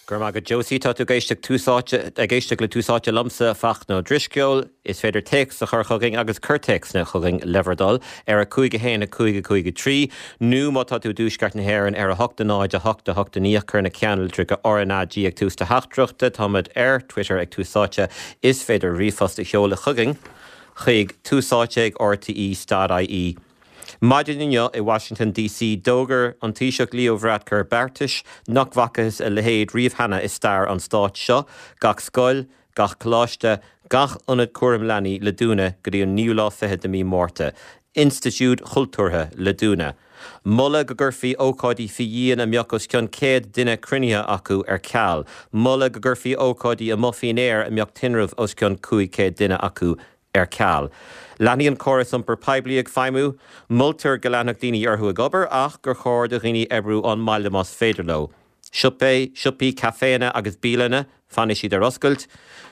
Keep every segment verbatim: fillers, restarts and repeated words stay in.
Go raibh maith agat Josie tá tú ag éisteacht Tús Áite ag éisteacht le Tús Áite liomsa Fachtna Ó Drisceoil, is féidir téacs a chur chugainn agus cuir téacsanna chugainn le bhur dtoil ar a cúig a haon a cúig a cúig a trí, nó má tá tú i dtuaisceart na hÉireann ar a hocht a náid a hocht a hocht a naoi cuir na ceannlitreacha RnaG ag tús do theachtaireachta táimid ar Twitter ag Tús Áite is féidir ríomhphost a sheoladh chugainn chuig túsáite ag RTE dot IE. Maidin inniu i Washington DC d'fhógair an Taoiseach Leo Varadkar beartais nach bhfacthas a leithéid riamh cheana i stair an stáit seo, gach scoil, gach coláiste, gach ionad cúram leanaí le dúnadh go dtí an naoú lá fichead de mí Márta. Institiúid chultúrtha le dúnadh. Moladh go gcuirfí ócáidí faoi dhíon a mbeadh os cionn céad duine cruinnithe acu ar ceal. Moladh go gcuirfí ócáidí amuigh faoin aer a mbeadh tinreamh os cionn cúig chéad duine acu ar ceal. Leanfaidh an córas iompar poiblí ag feidhmiú, moltar go leanfadh daoine orthu ag obair ach gur chóir do dhaoine oibriú ón mbaile más féidir leo. Siopaí, siopaí, caiféanna agus bialanna, fanfaidh siad ar oscailt.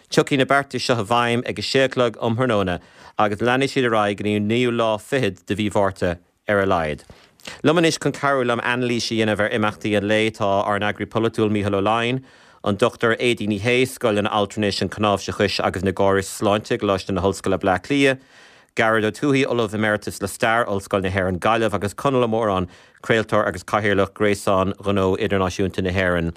Tiocfaidh na beartais seo i bhfeidhm ag a sé a chlog um thráthnóna agus leanfaidh siad ar aghaidh go dtí an naoú lá fichead de mhí Mhárta ar a laghad. Liom anois chun cabhrú liom anailís a dhéanamh ar imeachtaí an lae tá ár n-eagraí polaitiúil Mícheál Ó Laighin, an Dochtúir Aedín Ní Shé, Scoil an Altranais, an Chnáimhseachais agus na gCóras Sláinte i gColáiste na hOllscoile Bleá Cliath, Gearóid Ó Tuathaigh, Ollamh Emeritus le Stair, Ollscoil na hÉireann Gaillimh agus Conall Ó Móráin, craoltóir agus cathaoirleach Gréasán Ghnó Idirnáisiúnta na hÉireann.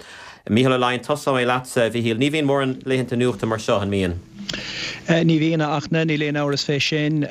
Mícheál Ó Laighin, tosóidh mé leatsa, a Mhíchíl. Ní bhíonn mórán laethanta nuachta mar seo, an mbíonn? Ní bhíonn, a Fhachtna, níl aon amhras fé sin.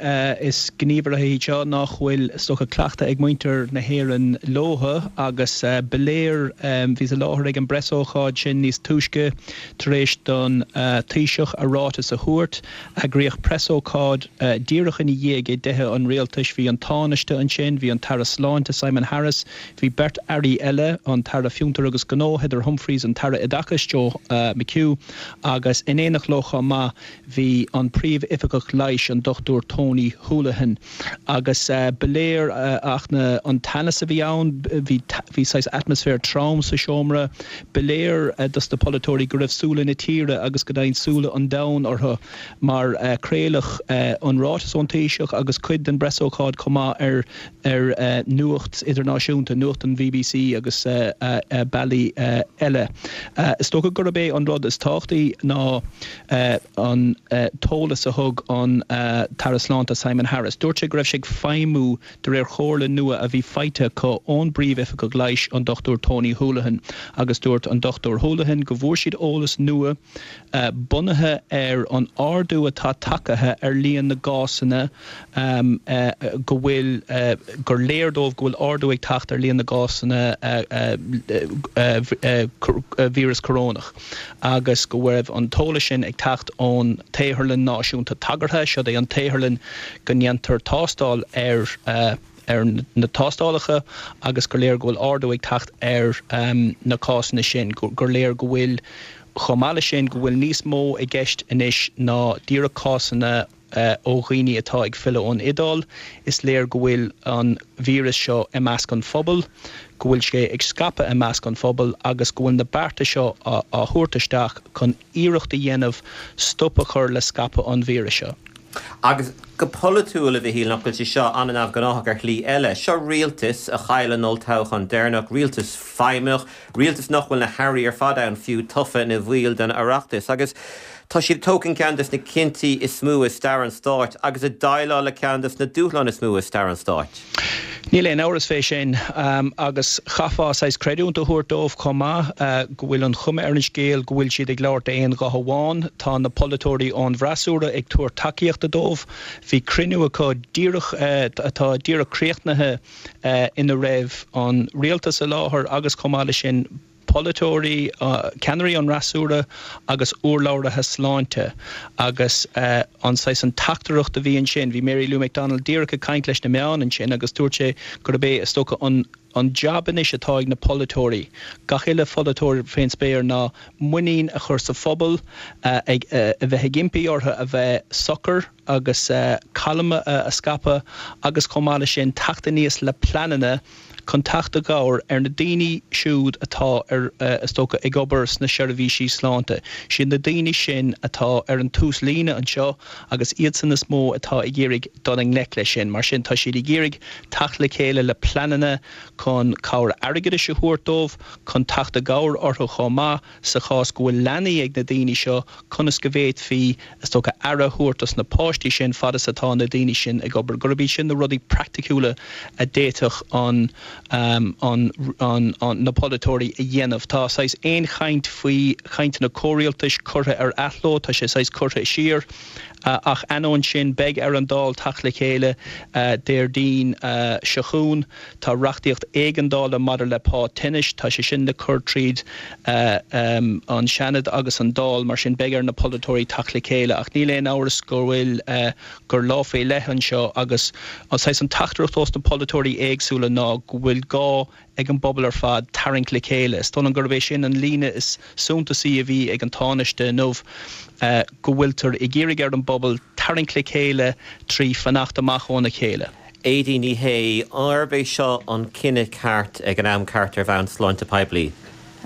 Is gníomhartha iad seo nach bhfuil, is dócha, cleachtadh ag muintir na hÉireann leo agus ba léir, bhíos i láthair ag an bpreasócáid sin níos túisce tar éis don Taoiseach a ráiteas a thabhairt. Eagraíodh preasócáid díreach ina dhiaidh i dtithe an rialtais. Bhí an Tánaiste ansin, bhí an tAire Sláinte Simon Harris, bhí beirt airí eile, an tAire Fiontar agus Gnó Heather Humphreys, an tAire Oideachais Joe McHugh agus in éineacht leo chomh maith bhí an Príomh-Oifigeach Leighis an Dochtúir Tony Holohan. Agus ba léir, a Fhachtna, an teannas a bhí ann, bhí bhí saghas atmaisféar trom sa seomra. Ba léir dos na polaiteoirí go raibh súile na tíre agus go deimhin súile an domhain orthu mar craoladh an ráiteas ón Taoiseach agus cuid den bpreasócáid chomh maith ar ar nuacht idirnáisiúnta, nuacht an BBC agus bealaí eile. Is dócha gurb é an rud is tábhachtaí ná an t-eolas a thug an tAire Sláinte Simon Harris. Dúirt sé go raibh sé ag feidhmiú de réir chomhairle nua a bhí faighte acu ón bPríomh-Oifigeach Leighis, an Dochtúir Tony Holohan, agus dúirt an Dochtúir Holohan go bhfuair siad eolas nua bunaithe ar an ardú atá tagtha ar líon na gcásanna go bhfuil gur léir dóibh go bhfuil ardú ag teacht ar líon na gcásanna víreas corónach agus go raibh an t-eolas sin ag teacht ón tSaotharlann Náisiúnta Tagartha. Siod é an tsaotharlann go ndéantar tástáil ar ar na tástálacha agus gur léir go bhfuil ardú ag teacht ar na cásanna sin, gur léir go bhfuil, chomh maith leis sin, go bhfuil níos mó i gceist anois ná díreach cásanna ó dhaoine atá ag filleadh ón Iodáil. Is léir go bhfuil an víreas seo i measc an phobail, go bhfuil sé ag scaipeadh i measc an phobail agus go bhfuil na bearta seo á thabhairt isteach chun iarracht a dhéanamh stop a chur le scaipeadh an víris seo. Agus go polaitiúil, a Mhichíl, nach bhfuil sé seo an-neamhghnáthach ar shlí eile? Seo rialtas a chaill an olltoghchán deireanach, rialtas feidhmeach, rialtas nach bhfuil na hairí ar fad ann fiú tofa ina bhaill den Oireachtas. Agus tá siad ag tógaint ceann des na cinntí is mó i stair an stáit agus ag déileáil le ceann des na dúshláin is mó i stair an stáit. Níl aon amhras fé sin, agus chaithfeá saghas creidiúint a thabhairt dóibh chomh maith, go bhfuil an chuma ar an scéal go bhfuil siad ag labhairt d'aon ghuth amháin. Tá na polaiteoirí ón bhfreasúra ag tabhairt tacaíochta dóibh. Bhí cruinniú acu díreach, atá díreach críochnaithe, ina raibh an rialtas i láthair agus chomh maith leis sin, polaiteoirí, ceannairí an fhreasúra agus urlabhraithe sláinte agus an saghas an teachtaireacht a bhí ansin. Bhí Mary Lou McDonald díreach ag caint leis na meáin ansin agus dúirt sé gurb é is dócha an an jab anois atá ag na polaiteoirí, gach uile pholaiteoir fén spéir ná muinín a chur sa phobal, ag a bheith ag impí orthu a bheith socair agus calma a scaipeadh agus chomh maith leis sin teacht aníos le pleananna chun teacht i gcabhair ar na daoine siúd atá ar is dócha ag obair sna seirbhísí sláinte. Sin na daoine sin atá ar an tús líne anseo agus iadsan is mó atá ag iarraidh dul i ngleic leis sin. Mar sin tá siad ag iarraidh teacht le chéile le pleananna chun cabhair airgeadais a thabhairt dóibh, chun teacht i gcabhair orthu chomh maith sa chás go bhfuil leanaí ag na daoine seo conas go bhféadfaí is dócha aire a thabhairt dos na páistí sin fad is atá na daoine sin ag obair. Gurb iad sin na rudaí praiticiúla a d'fhéadfadh an um, an, an, an, na polaiteoirí a dhéanamh. Tá saghas aon chaint faoi chainteanna comhrialtais curtha ar athló, tá sé saghas curtha siar. Uh, ach ainneoin sin beidh ar an Dáil teacht le chéile uh, Déardaoin uh, seo chugainn, tá reachtaíocht éigeandála maidir le pá tinnis, tá sé sin le cur tríd uh, um, an Seanad agus an Dáil mar sin beidh ar na polaiteoirí teacht le chéile ach níl aon amhras go bhfuil uh, gur lá faoi leith anseo agus an saghas an teachtaireacht ós na polaiteoirí éagsúla ná go bhfuil gá ag an bpobal ar fad tarraingt le chéile. Is dóigh liom gurb é sin an líne is suntasaí a bhí ag an Tánaiste inniu uh, go bhfuiltear ag iarraidh ar an bpobal tarraingt le chéile trí fanacht amach óna chéile. Aideen Ní Shé arb é seo an cinneadh ceart ag an am ceart ar bhonn sláinte poiblí.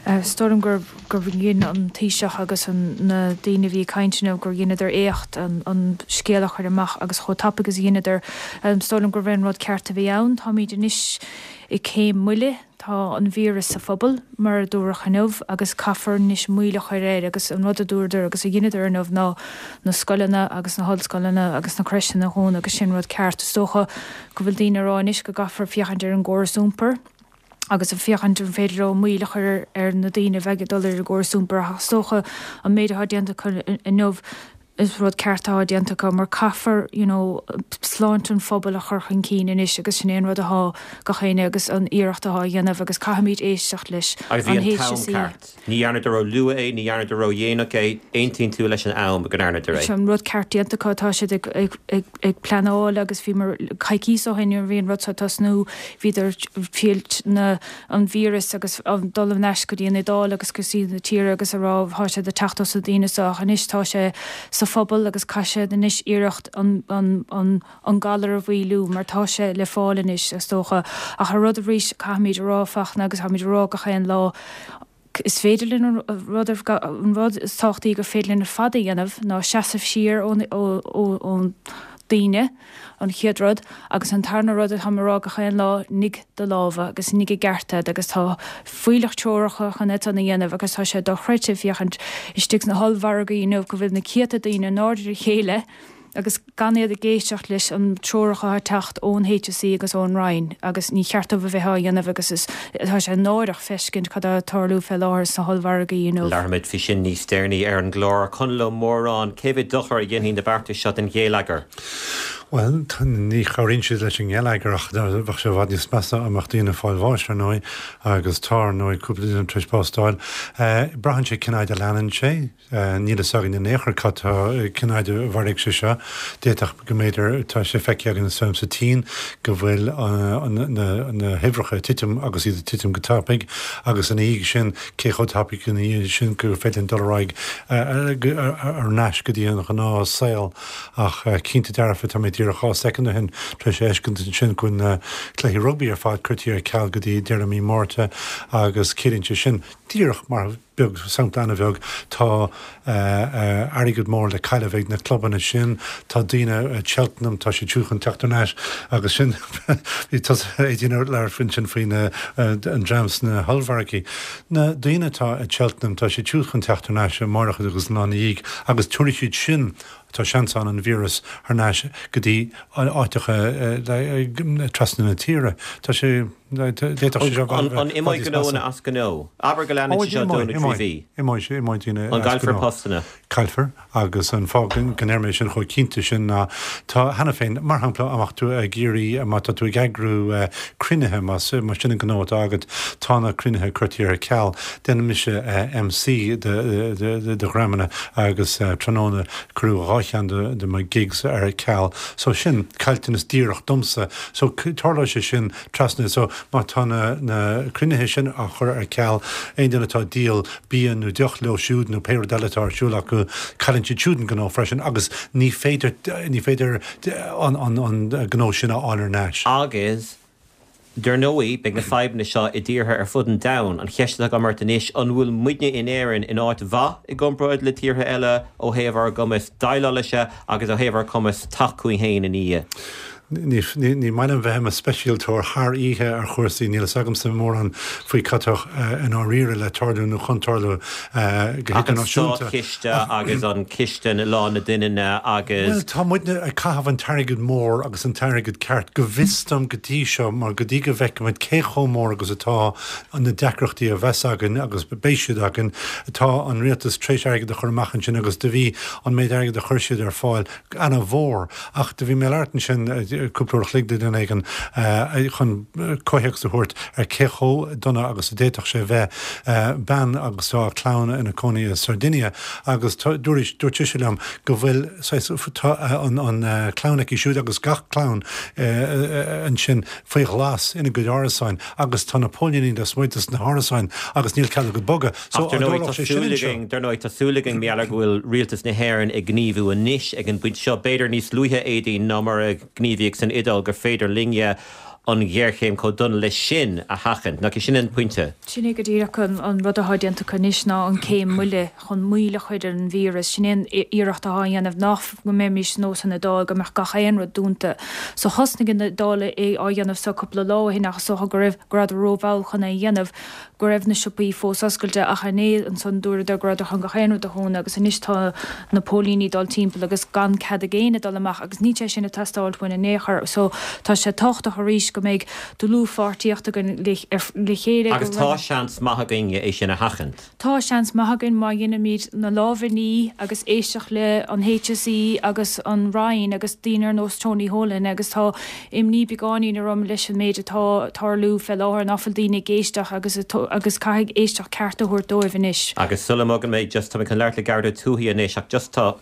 Is dóigh liom gur gur dhein an Taoiseach agus an na daoine bhí ag caint inniu gur dheineadar éacht an, an scéal a chur amach agus chomh tapaidh agus dheineadar um, is dóigh liom gur an rud ceart a bhí ann, Táimid anois i céim moille tá an víreas sa phobal mar a dúradh inniu agus caithfear anois moill a chur air agus an rud a dúradar agus a dheineadar inniu ná na scoileanna agus na hollscoileanna agus na crècheanna a dhúnadh agus sin rud ceart is dócha go bhfuil daoine ag rá anois go gcaithfear féachaint ar an gcóras iompair. agus a féachaint an féidir leo moill a chur ar na daoine bheith ag dul ar an gcóras iompair is dócha an méid atá déanta inniu is rud ceart atá déanta acu mar caithfear you know, sláinte an phobail a chur chun cinn anois agus sin an rud atá gach éinne agus an iarracht atá á dhéanamh agus caithfimid éisteacht leis Agus bhí an t-am ceart. Ní dhearnadar ró-luath é, ní dhearnadar ró-dhéanach é, aontaíonn tú leis an am go ndearnadar é. An rud ceart déanta acu tá siad ag, ag, ag, ag pleanáil agus bhí mar coicís ó shin bhí an rud ag tosnú bhíodar fillt na an víreas agus an dul ar ais go dtí an Iodáil agus go dtí na tíre agus a rá tá sé ag teacht os na daoine so anois tá sé sa phobal agus caithfidh siad anois iarracht an, an, an, an galar a mhaolú mar tá sé le fáil anois is dócha ach a rud arís caithfimid a rá Fachtna agus táimid a rá gach aon lá is féidir linn an rud an rud is tábhachtaí gur féidir linn ar fad a dhéanamh ná seasamh siar ón ón daoine an chéad rud agus an tarna rud atá rá gach aon lá nigh do lámha agus nigh i gceart iad agus tá fuílleach treoracha chun é a dhéanamh agus tá sé dochreidte féachaint istigh sna hollmhargaí nó go bhfuil na céadta daoine in airde a chéile agus gan iad ag éisteacht leis an treoracha atá ag teacht ón HSE agus ón Roinn agus ní cheart dóibh a bheith á dhéanamh agus is tá sé náireach feiscint cad atá ag tarlú fé láthair sna hollmhargaí nó. Labharfaimid faoi sin níos deireanaí ar an gclár Conall Ó Móráin cé mhéad dochar a dhéanfaidh na beartais seo don gheilleagar. Well ní chabhraíonn siad leis an ngeilleagar ach bheadh sé i bhfad níos measa dá mbeadh daoine ag fáil bháis ar ndóigh agus tá ar ndóigh cúpla duine tar éis bás a fháil. Braitheann sé cén fhad a leanann sé, níl a fhios againn in aon chor cad cén fhad a mhairfidh sé seo. D'fhéadfadh go mb'fhéidir tá sé feicthe againn sa tSín go bhfuil na huimhreacha ag titim agus iad ag titim go tapaidh agus ina dhiaidh sin cé chomh tapaidh ina dhiaidh sin gur féidir dul ar aghaidh ar ais go dtí an gnáthshaol ach cinnte dearfa tá mé díreach dhá soicind ó shin tar éis fheiscint ansin go bhfuil na cluichí rugbaí ar fad curtha ar ceal go dtí deireadh mí Márta agus ciallaíonn sé sin díreach mar beag sampla an-bheag tá airgead mór le cailleadh ag na clubanna sin tá daoine Cheltenham tá siad chun teacht ar ais agus sin bhí Aideen labhairt sin faoi an dream sna hollmhargaí. Na daoine atá i Cheltenham tá siad chun teacht ar ais amárach agus an lá ina dhiaidh agus tabharfaidh siad sin tá seans ann an víreas thar n-ais go dtí áiteacha trasna na tíre. Tá sé An imeoidh gnóanna as gnó. Abair go leanann sé seo dó nó trí mhí. Imigh An gcaillfear postanna. Caillfear agus an fáth go ndeir mé sin chomh cinnte sin ná tá cheana féin mar shampla dá mbeadh tú ag iarraidh má tá tú ag eagrú cruinnithe más mar sin an gnó atá agat tá na cruinnithe curtha ar ceal. Déanann mise MC de dhreamanna agus tráthnóna cuireadh dhá cheann de mo gigs ar ceal. So sin caillteanas díreach domsa, so tarlóidh sé sin trasna so má tá na, na cruinnithe sin á chur ar ceal aon duine atá ag díol bia nó deoch leo siúd nó pé rud eile atá ar siúl acu cailleann siad siúd an gnó freisin agus ní féidir ní féidir an, an, an gnó sin a fháil ar ais. Agus Dar ndóigh, beidh na fadhbanna seo i dtíortha ar fud an domhain. An cheist atá agam ort anois, an bhfuil muidne in Éirinn in áit mhaith i gcomparáid le tíortha eile ó thaobh ár gcumas déileáil leis agus ó thaobh ár gcumas teacht chugainn féin ina dhiaidh? Ní ní maith liom bheith i mo speisialtóir thar oíche ar chúrsaí, níl fhios agamsa mórán faoi cad tá i ndáiríre le tarlú nó chun tarlú go Ach an hidirnáisiúnta. státchiste agus an ciste na Lá na Doininne agus. Bhuel, tá muidne ag caitheamh an t-airgead mór agus an t-airgead ceart go bhfios dom go dtí seo mar go dtí go bhfeicimid cé chomh mór agus atá na deacrachtaí a bheas againn agus beidh siad againn, tá an rialtas tar éis airgead a chur amach ansin agus do bhí an méid airgid a chuir siad ar fáil an-mhór ach do bhí mé ag labhairt ansin cúpla uair a chloig le duine éigin chun comhthéacs a thabhairt ar cé chomh dona agus a d'fhéadfadh sé bheith. Bean agus tá a clann ina cónaí i Sardinia agus dúirt dúirt sise liom go bhfuil tá an an clann aici siúd agus gach clann ansin faoi ghlas ina gcuid árasáin agus tá na póilíní lasmuigh de na hárasáin agus níl cead acu bogadh. So Ach dar ndóigh tá súil againn dar ndóigh tá súil againn mar gheall ar go bhfuil rialtas na hÉireann ag gníomhú anois ag an bpointe seo, b'fhéidir níos luaithe Aedín ná mar a gníomhaíodh san Iodáil gur féidir linne an ghéarchéim chomh dona leis sin a sheachaint. Nach é sin an pointe? Sin é go díreach an an rud atá déanta acu anois ná an céim moille chun moill a chur ar an víreas. Sin é an iarracht atá á dhéanamh nach go mbeimis nós an Iodáil go mbeadh gach aon rud dúnta. So thosnaigh an Iodáil é á dhéanamh so cúpla lá ó shin ach is dócha go raibh go rabhadar rómhall chun é a dhéanamh, go raibh na siopaí fós oscailte ach inné ansan dúradar go rabhadar chun gach aon rud a dhúnadh agus anois tá na póilíní dul timpeall agus gan cead ag éinne dul amach agus níl sé sin ag teastáil uainn in aon chor. So tá sé tábhachtach arís go mbeidh dlúthpháirtíocht againn le le chéile Agus tá seans maith againne é sin a sheachaint. Tá seans maith againn má dhéanaimid na lámha a ní agus éisteacht le an HSE agus an Roinn agus daoine ar nós Tony Holohan agus tá imní beagáinín orm leis an méid atá ag tarlú fé láthair nach bhfuil daoine ag éisteacht agus agus caithfidh éisteacht ceart a thabhairt dóibh anois. Agus sula mbogann mé just tá mé chun labhairt le Gearóid Ó Tuathaigh anois ach just tá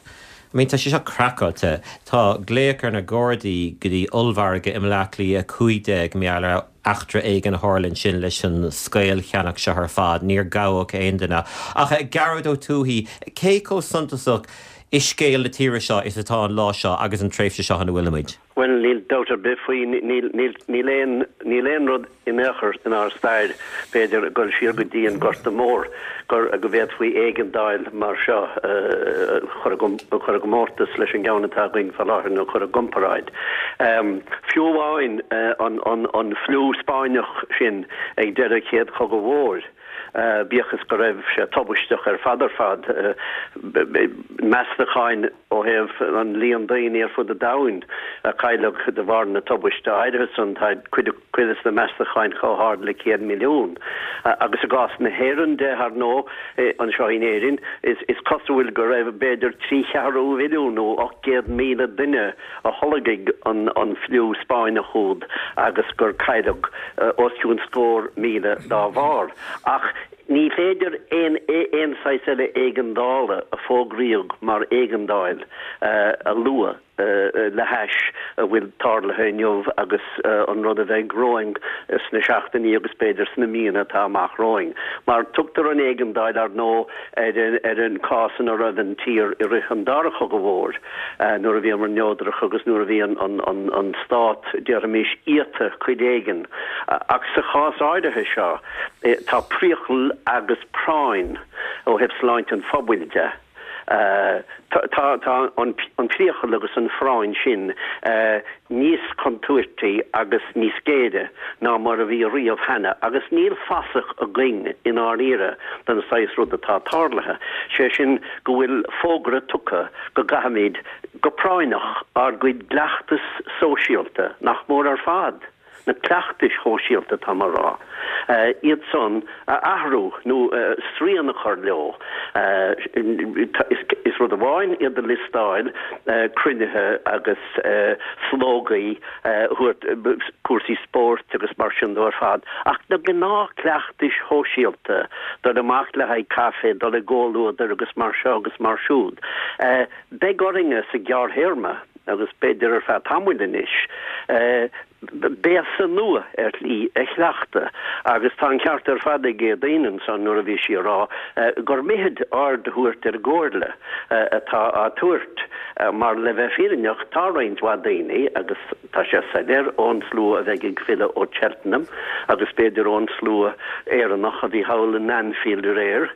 I mean tá sé seo craiceáilte. Tá glaoch ar na Gardaí go dtí ollmhargadh i mBleá Cliath a cúig déag mar gheall ar eachtra éigin a tharla ansin leis an scaollcheannach seo ar fad. Níor gabhadh aon duine. Ach Gearóid Ó Tuathaigh, cé chomh suntasach i scéal na tíre seo is atá an lá seo agus an tréimhse seo ina bhfuilimid? Bhuel, níl dabht ar bith faoi, níl, níl, níl aon, níl aon rud in aon chor inár stair, b'fhéidir, ag dul siar go dtí an Gorta Mór, gur, go bhféadfaí éigeandáil mar seo a chur i chur i gcomórtas leis an gceann atá againn fá láthair nó chur i gcomparáid. Fiú amháin an, an, an fliú Spáinneach sin ag deireadh Chéad Chogadh Mhóir, bíodh is go raibh sé tubaisteach ar fad ar fad, meastacháin ó thaobh an líon daoine ar fud an domhain a cailleadh de bharr na tubaiste áirithe san, tá cuid de na meastacháin chomh hard le céad milliún. Agus i gcás na hÉireann de, ar ndóigh, anseo in Éirinn, is cosúil go raibh b'fhéidir trí cheathrú mhilliún nó ocht gcéad míle duine a tholg an fliú Spáinneach úd agus gur cailleadh os cionn scór míle dá bharr. Ach ní féidir aon aon saghas eile éigeandála a fógraíodh mar éigeandáil a lua le hais a bhfuil tarlaithe inniu agus an rud a bheidh romhainn sna seachtainí agus b'fhéidir sna míonna atá amach romhainn. Mar tugtar an éigeandáil, ar ndóigh, ar an cás ina raibh an tír i rith an Dara Chogadh Mhóir, nuair a bhíomar neodrach agus nuair a bhí an stát, déarfaimis, iata cuid éigin. Ach sa chás áirithe seo, tá priacal agus práinn ó thaobh sláinte an phobail de. Tá an priacal agus an phráinn sin níos contúirtí agus níos géire ná mar a bhí riamh cheana agus níl fasach againn i ndáiríre den saghas rud atá tarlaithe, sé sin go bhfuil fógra tugtha go gcaithfimid go práinneach ár gcuid gcleachtas sóisialta, nach mór ar fad, na cleachtais shóisialta tá mé a rá, iad san a athrú nó srian a chur leo. Is rud amháin iad a liostáil, cruinnithe agus slógaí a thabhairt, cúrsaí spóirt agus mar sin dó ar fad, ach na gnáthchleachtais shóisialta, dul amach le haghaidh caife, dul i gcomhluadar agus mar seo agus mar siúd, beidh orainne sa ghearrthéarma, agus b'fhéidir ar feadh tamaill anois, béasa nua ar shlí a chleachtadh agus tá an ceart ar fad ag Éadaoin ansan nuair a bhí sí a rá gur mithid aird a thabhairt ar an gcomhairle atá á tabhairt mar le bheith fírinneach tá roinnt mhaith daoine agus tá sé soiléir ón slua a bheidh ag filleadh ó Cheltenham agus b'fhéidir ón slua Éireannach a bhí thall in Anfield aréir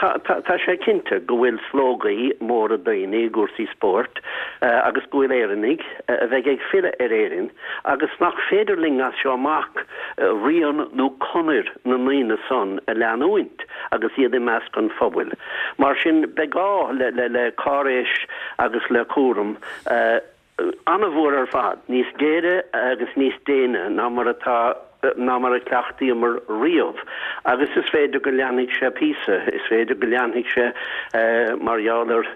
tá tá sé cinnte go bhfuil slógaí móra daoine i gcúrsaí spóirt agus go bhfuil Éireannaigh a bheidh ag filleadh ar Éirinn agus nach féidir linn as seo amach rian nó conair na ndaoine san a leanúint agus iad i measc an phobail. Mar sin beidh gá le le le cáiréis agus le cúram an-mhór ar fad, níos géire agus níos déine ná mar atá ná mar a chleachtaíomar riamh. Agus is féidir go leanfaidh sé píosa, is féidir go leanfaidh sé mar gheall ar an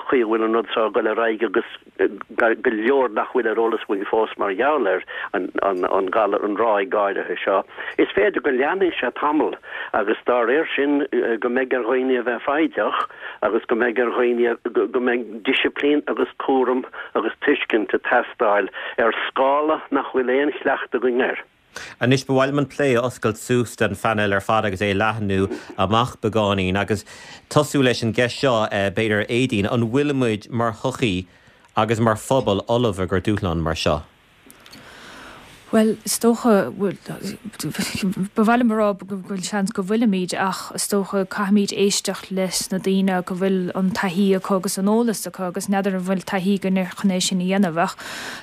chaoi a bhfuil an rud seo ag dul ar aghaidh agus go leor nach bhfuil ar eolas againn fós mar gheall ar an galar, an ráig áirithe seo. Is féidir go leanfaidh sé tamall agus dá réir sin go mbeidh ar dhaoine a bheith foighdeach agus go mbeidh ar dhaoine, go mbeidh disciplín agus cúram agus tuiscint ag teastáil ar scála nach bhfuil aon chleachtadh againn air. Anois ba mhaith liom an plé a oscailt suas don phainéal ar fad agus é a leathnú amach beagáinín agus tosú leis an gceist seo, b'fhéidir, Aedín, an bhfuilimid mar shochaí agus mar phobal ullamh i gcomhair dúshlán mar seo? Bhuel, is dócha, ba mhaith liom a rá go bhfuil seans go bhfuilimid ach is dócha caithfimid éisteacht leis na daoine go bhfuil an taithí acu agus an eolas acu agus n'fheadar an bhfuil taithí againn chun é sin a dhéanamh. Ach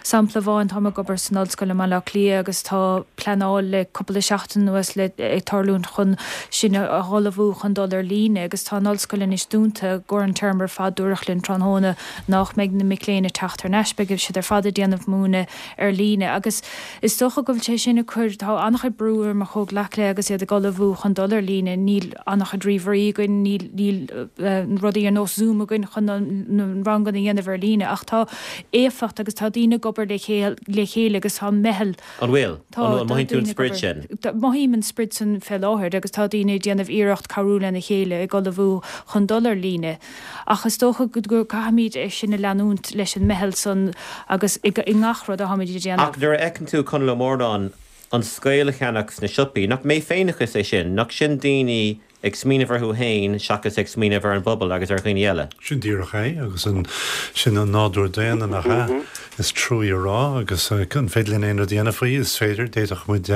sampla amháin, táim ag obair san ollscoil i mBaile Átha Cliath agus tá pleanáil le cúpla seachtain anuas le ag tarlúint chun sinn a ullmhú chun dul ar líne agus tá an ollscoil anois dúnta i gcomhair an téarma ar fad dúradh linn tráthnóna nach mbeidh na mic léinn ag teacht thar n-ais, beidh siad ar fad ag déanamh múineadh ar líne agus is dócha go bhfuil sé sin ag cur, tá an-chuid brú ar mo chomhghleacaithe agus iad ag ullmhú chun dul ar líne, níl an-chuid ríomhairí againn, níl, níl rudaí ar nós Zoom againn chun na ranganna a dhéanamh ar líne ach tá éifeacht agus tá daoine ag obair le le chéile agus tá meitheal. An bhfuil? Tá, An mothaíonn tú an sprid sin? Mothaím an sprid sin fé láthair agus tá daoine ag déanamh iarracht cabhrú lena chéile ag ullmhú chun dul ar líne. Ach is dócha go gcaithfimid é sin a leanúint leis an meitheal san agus i ngach rud atáimid a dhéanamh. Ach nuair a fheiceann tú, Conall Ó Mórnáin, an scaoll a cheannach sna siopaí, nach méfhéineachas é sin? Nach sin daoine ag smaoineamh orthu féin seachas ag smaoineamh ar an bpobal agus ar dhaoine eile? Sin díreach é agus sin an nádúr daonna, nach ea? Is trua a rá agus an féidir linn aon rud a dhéanamh faoi? Is féidir. D'fhéadfadh muid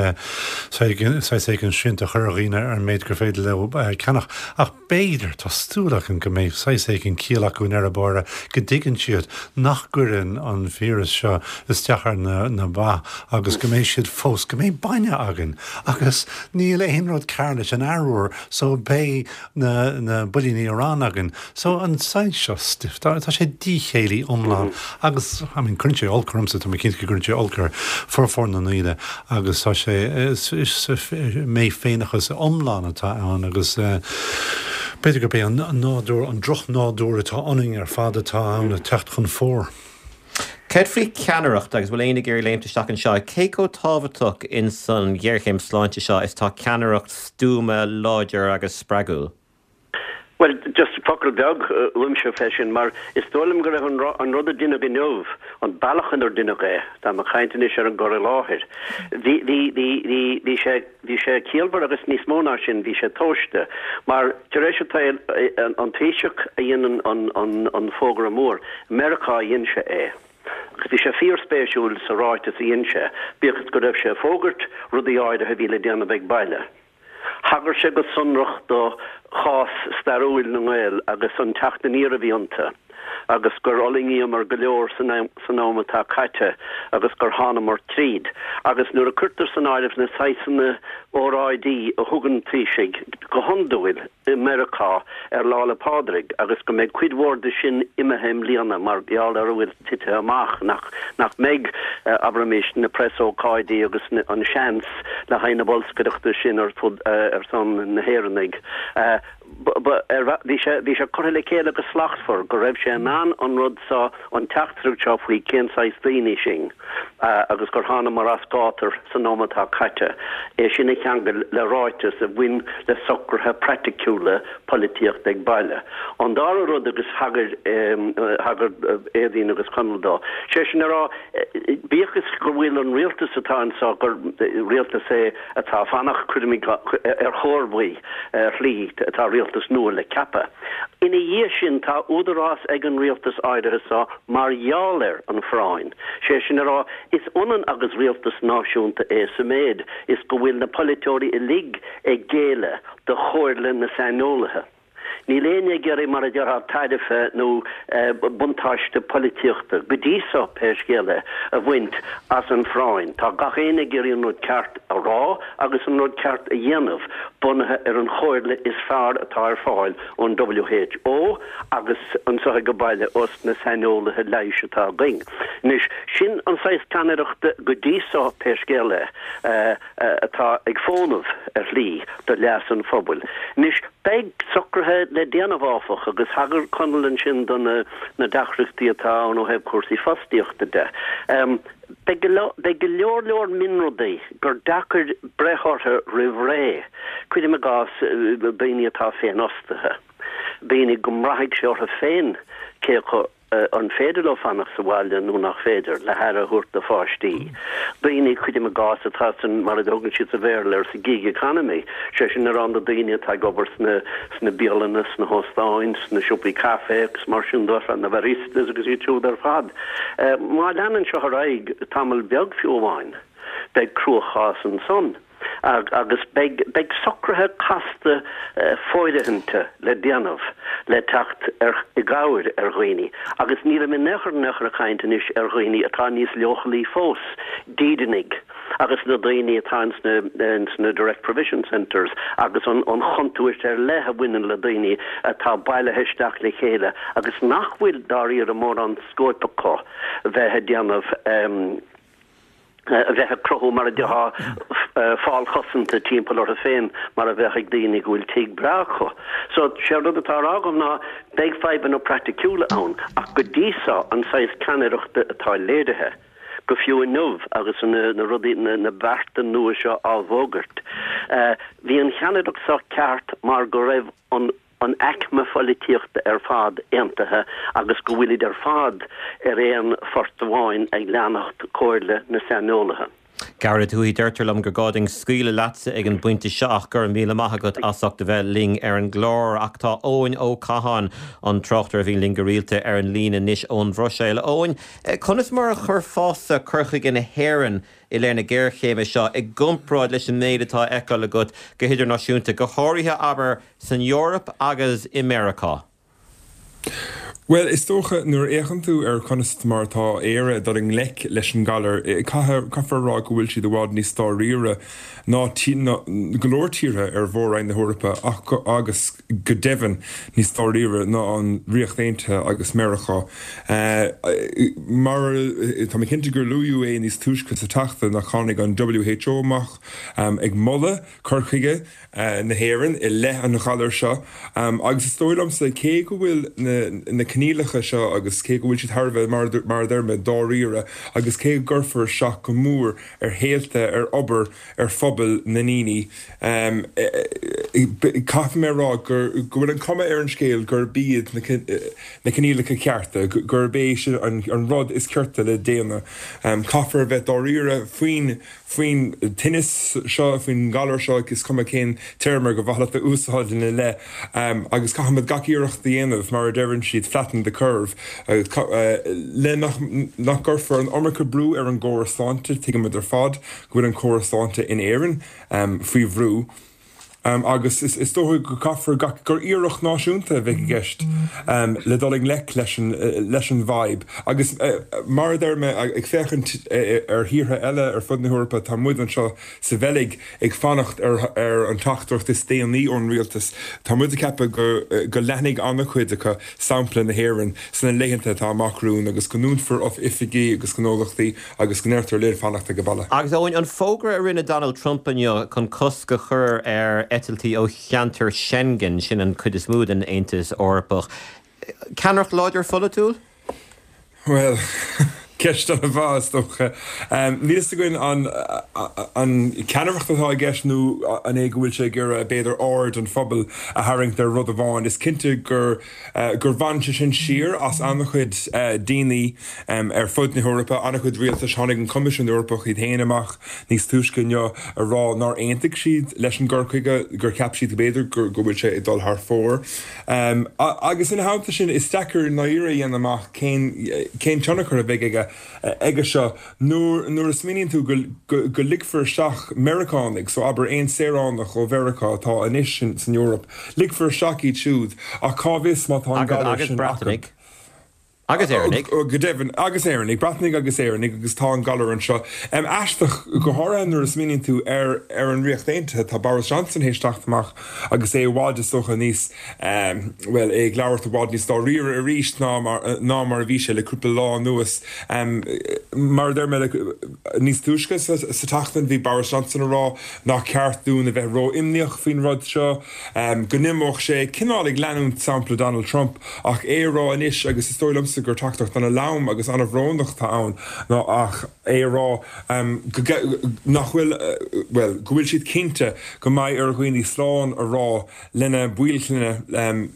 saghas éigin srianta a chur ar dhaoine ar an méid gur féidir leo ceannach. Ach b'fhéidir, tá súil agam go mbeidh saghas éigin ciall acu i ndeireadh báire, go dtuigeann siad nach gcuireann an víreas seo isteach ar na ba agus go mbeidh siad fós, go mbeidh bainne againn agus níl aon rud cearr leis an arbhar so beidh na na builíní aráin againn. So an saghas seo stuif, tá sé díchéillí iomlán agus I mean cuireann sé olc ormsa, tá mé cinnte go gcuireann sé olc ar formhór na ndaoine agus tá sé, is méfhéineachas iomlán atá ann agus b'fhéidir gurb é an nádúr, an drochnádúr atá ionainn ar fad atá ann ag teacht chun fóir. Céard faoi cheannaireacht agus bhfuil éinne ag iarraidh léimt isteach anseo? Cé chomh tábhachtach in san ghéarchéim sláinte seo is tá ceannaireacht stuama, láidir agus spreagúil? Bhuel, just focal beag uaimse fé sin, mar is dóigh liom go raibh an rud a deineadh inniu, an bealach inar deineadh é, táim ag caint anois ar an gcur i láthair, bhí, bhí, bhí, bhí, bhí sé, bhí sé ciallmhar agus níos mó ná sin, bhí sé tomhaiste. Mar tar éis an tsaoil, an Taoiseach a dhein an, an, an, an fógra mór, i Meiriceá a dhein sé é. Agus bhí sé fíorspéisiúil sa ráiteas a dhein sé, bíodh is go raibh sé ag fógairt rudaí áirithe a bhí le déanamh ag baile. Thagair sé go sonrach do chás stairiúil na nGael agus an teacht aniar a bhí iontu agus gur fhulaingíomar go leor san am atá caite agus gur thánamar tríd. Agus nuair a cuirtear san áireamh na saghsanna óráidí a thugann Taoisigh go hiondúil i Meiriceá ar Lá 'le Pádraig agus go mbeidh cuid mhór de sin imithe i mbliana mar gheall ar a bhfuil tite amach, nach nach mbeidh, abraimis, na preasócáidí agus an seans le haghaidh na bolscaireachta sin ar fud ar son na hÉireannaigh. Bhí sé bhí sé curtha le chéile go slachtmhar go raibh sé in ann an rud seo, an teachtaireacht seo faoi cén saghas daoine sinn agus gur thánamar as gátar san am atá caite, é sin a cheangal le ráiteas a bhain le socruithe praiticiúla. praiticiúla polaitíochta ag baile. An dara rud agus thagair thagair Éadaoin agus Conall dó, sé sin a rá, bíodh is go bhfuil an rialtas atá anseo gur rialtas é atá fanacht cuirim ar chomharthaí ar shlí tá rialtas nua le ceapadh. Ina dhiaidh sin tá údarás ag an rialtas áirithe seo mar gheall ar an phráinn. Sé sin a rá, is ionann agus rialtas náisiúnta é sa méid is go bhfuil na polaiteoirí uilig ag géilleadh do chomhairle na saineolaithe. Níl éinne ag iarraidh, mar a déarfá, tairbhe nó buntáiste polaitíochta, go dtí seo pé scéal é, a bhaint as an phráinn. Tá gach éinne ag iarraidh an rud ceart a rá agus an rud ceart a dhéanamh, bunaithe ar an chomhairle is fearr atá ar fáil ón WHO agus anseo ag baile ós na saineolaithe leighis atá againn. Anois, sin an saghas ceannaireachta go dtí seo pé scéal é, atá ag fónamh ar shlí do leas an phobail. Anois, beidh socruithe le déanamh áfach agus thagair Conall ansin do na na deacrachtaí atá ann ó thaobh cúrsaí fostaíochta de. Beidh go leor leor mionrudaí gur deacair breith orthu roimh ré, cuirim i gcás daoine atá féinfhostaithe, daoine go mbraithfidh sé orthu féin cé acu an féidir leo fanacht sa bhaile nó nach féidir, le haire a thabhairt do pháistí. Daoine, cuirim i gcás, atá san, mar a dtugann siad sa Bhéarla air, sa gig economy, sé sin a rá na daoine atá ag obair sna, sna bialanna, sna hóstáin, sna siopaí caife agus mar sin de, na baristas agus iad siúd ar fad. Má leanann seo ar aghaidh tamall beag fiú amháin, beidh cruachás ansan. agus beidh beidh socruithe casta fóirithinte le déanamh le teacht ar i gcabhair ar dhaoine agus nílim in aon chor in aon chor ag caint anois ar dhaoine atá níos leochailí fós, dídeanaigh agus na daoine atá ins na ins na direct provision centres agus an an chontúirt ar leith a bhaineann le daoine atá bailithe isteach le chéile agus nach bhfuil dáiríre mórán scóip acu bheith ag déanamh a bheith ag cruthú mar a déarfá fál cosanta timpeall orthu féin mar a bheadh ag daoine go bhfuil tigh breá acu. So, sé an rud atá á rá agam ná beidh fadhbanna praiticiúla ann ach go dtí seo an saghas ceannaireachta atá léirithe, go fiú inniu agus na rudaí, na bearta nua seo á bhfógairt, bhí an cheannaireacht seo ceart mar go raibh an an aicme pholaitíochta ar fad aontaithe agus go bhfuilid ar fad ar aon phort amháin ag leanacht comhairle na saineolaithe. Gearóid Tuohy, deirtear liom gur gá dúinn scaoileadh leatsa ag an bpointe seo ach go raibh míle maith agat as ucht a bheith linn ar an gclár. Ach tá Eoin Ó Catháin, an tráchtaire a bhíonn linn go rialta, ar an líne anois ón Bhruiséil. A Eoin, conas mar a chuirfeása cur chuige na hÉireann i leith na géarchéime seo i gcomparáid leis an méid atá á fheiceáil agat go hidirnáisiúnta, go háirithe, abair, san Eoraip agus i Meiriceá? Bhuel, is dócha, nuair a fhéachann tú ar conas mar atá Éire ag dul i ngleic leis an ngalar, caithfear a rá go bhfuil siad i bhfad níos dáiríre ná go leor tíortha ar mhór-roinn na hEorpa ach agus go deimhin níos dáiríre ná an Ríocht Aontaithe agus Meiriceá. Mar tá mé cinnte gur luadh é níos túisce sa tseachtain nach tháinig an WHO amach ag moladh cur chuige na hÉireann i leith an ghalair seo agus is dóigh liomsa cé go bhfuil na coinníollacha seo agus cé go bhfuil siad thar a bheith, mar a deir mé, dáiríre agus cé go gcuirfear isteach go mór ar shaolta, ar obair, ar phobail na ndaoine, caithfidh mé a rá go bhfuil an chuma ar an scéal gurb iad na coinníollacha cearta, gurb é sin an rud is cirte le déanamh. Caithfear a bheith dáiríre faoin faoin tinneas seo, faoin ngalar seo, is cuma cén téarma gur mhaith leat a úsáid ina leith, agus caithfimid gach iarracht a dhéanamh, mar a deireann siad, flatten the curve, le nach gcuirfear an iomarca brú ar an gcóras sláinte. Tuigimid ar fad go bhfuil an córas sláinte in Éirinn faoi bhrú. Agus is dócha go gcaithfear gach, gur iarracht náisiúnta a bheidh i gceist le dul i ngleic leis an, leis an bhfadhb. Agus mar a deir mé, ag féachaint ar thíortha eile ar fud na hEorpa, tá muid anseo sa Bheilg ag fanacht ar ar an teachtaireacht is déanaí ón rialtas. Tá muid ag ceapadh go, go leanfaidh an-chuid acu sampla na hÉireann sna laethanta atá amach romhainn agus go ndúnfar oifigí agus gnólachtaí agus go ndeirtear linn fanacht ag baile. Agus Eoin, an fógra a rinne Donald Trump inniu chun cosc a chur ar eitiltí ó cheantar Schengen, sin an chuid is mó den Aontas Eorpach, ceannaireacht láidir pholaitiúil? Bhuel, Ceist an-mhaith is dócha. Níl fhios againn an an ceannaireacht atá i gceist nó an é go bhfuil sé ag iarraidh b'fhéidir aird an phobail a tharraingt ar rud amháin. Is cinnte gur gur bhain sé sin siar as an-chuid daoine ar fud na hEorpa, an-chuid rialtais. Tháinig an Coimisiún Eorpach iad féin amach níos túisce inniu a rá nár aontaigh siad leis an gcur chuige, gur cheap siad b'fhéidir go bhfuil sé ag dul thar fóir. Agus ina theannta sin, is deacair i ndáiríre a dhéanamh amach cén cén tionchar a bheidh aige aige seo nuair nuair a smaoiníonn tú go go go ligfear isteach Meiriceánaigh, so abair aon saoránach ó Mheiriceá atá anois san Eoraip, ligfear isteach iad siúd ach cá bhfios má tá an galar Agus sin acu. Breatanaigh. Agus Éireannaigh. Go deimhin, agus Éireannaigh, Breatanaigh agus Éireannaigh agus tá an galar anseo. Aisteach, go háirithe nuair a smaoiníonn tú ar ar an Ríocht Aontaithe, tá Boris Johnson théis teacht amach agus é i bhfad is dócha níos, bhuel, é ag labhairt i bhfad níos dáiríre arís ná mar ná mar a bhí sé le cúpla lá anuas. Mar a deir mé, níos túisce sa sa tseachtain bhí Boris Johnson ag rá nach ceart dúinn a bheith ró-imníoch faoin rud seo, go n-imeodh sé, cineál ag leanúint sampla Donald Trump ach é a rá anois agus is dóigh liomsa gur teachtaireacht an-lom agus an-bhrónach atá ann ná ach é a rá go nach bhfuil, bhuel, go bhfuil siad cinnte go mbeidh ar dhaoine slán a rá lena baill clainne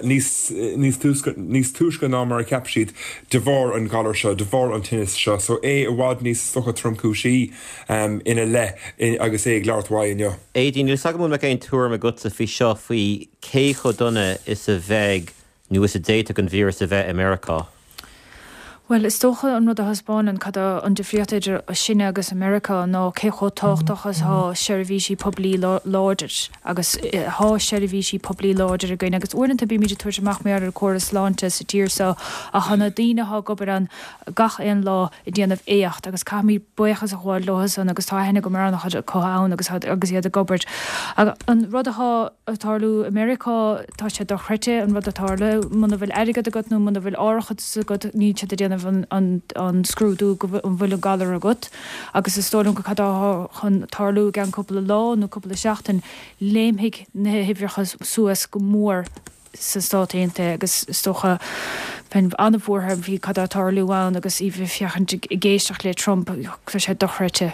níos níos túisce níos túisce ná mar a cheap siad de bharr an ghalair seo, de bharr an tinnis seo. So é i bhfad níos is dócha tromchúisí ina leith agus é ag labhairt uaidh inniu. Aedín, níl 's agam an mbeadh aon tuairim agatsa faoi seo faoi cé chomh dona is a bheidh nó is a d'fhéadfadh an víreas a bheith i Meiriceá. Bhuel, is dócha an rud a thaispeánann cad é an difríocht idir sinne agus America ná cé chomh tábhachtach is atá seirbhísí poiblí láidir agus tá seirbhísí poiblí láidir againn agus uaireanta bímid ag tabhairt amach mar ar an córas sláinte sa tír seo ach tá na daoine atá ag obair ann gach aon lá ag déanamh éacht agus caithfimid buíochas a ghabháil leo san agus tá aithne agam ar an-chuid acu ann agus agus iad ag obair. An rud atá ag tarlú i Meiriceá tá sé dochreidte an rud atá ag tarlú muna bhfuil airgead agat nó muna bhfuil árachas agat níl siad ag déanamh an, an, an scrúdú go an bhfuil an galar agat agus is dóigh liom go cad atá chun tarlú i gceann cúpla lá nó cúpla seachtain léimfidh na huimhreacha suas go mór sa Stát Aontaithe agus is dócha bheinn an-bhuartha faoi cad atá ag tarlú ann agus í bheith féachaint ag éisteacht le Trump tá sé dochreidte.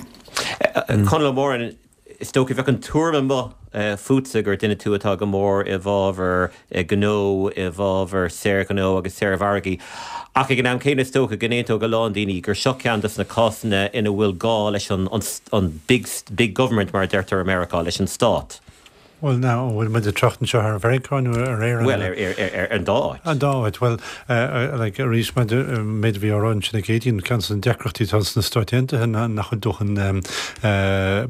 Conall Ó Móráin, is dócha bheadh an tuairim amuigh fútsa gur duine tú atá go mór i bhfabhar gnó, i bhfabhar saorghnó agus saormhargaí. Ach ag an am céanna is dócha go n-aontódh a lán daoine gur seo ceann de na cásanna ina bhfuil gá leis an, an, an big, big government mar a deirtear i Meiriceá, leis an stát. Bhuel now, an bhfuil muid ag trácht anseo ar Mheiriceá nó ar Éirinn? Bhuel, ar, ar, ar, ar an dá áit. An dá áit. Bhuel, like, arís maidir méid a bhí á rá ansin ag Aedín, ceann de na deacrachtaí atá sna Stáit Aontaithe ná nach bhfuil dóthain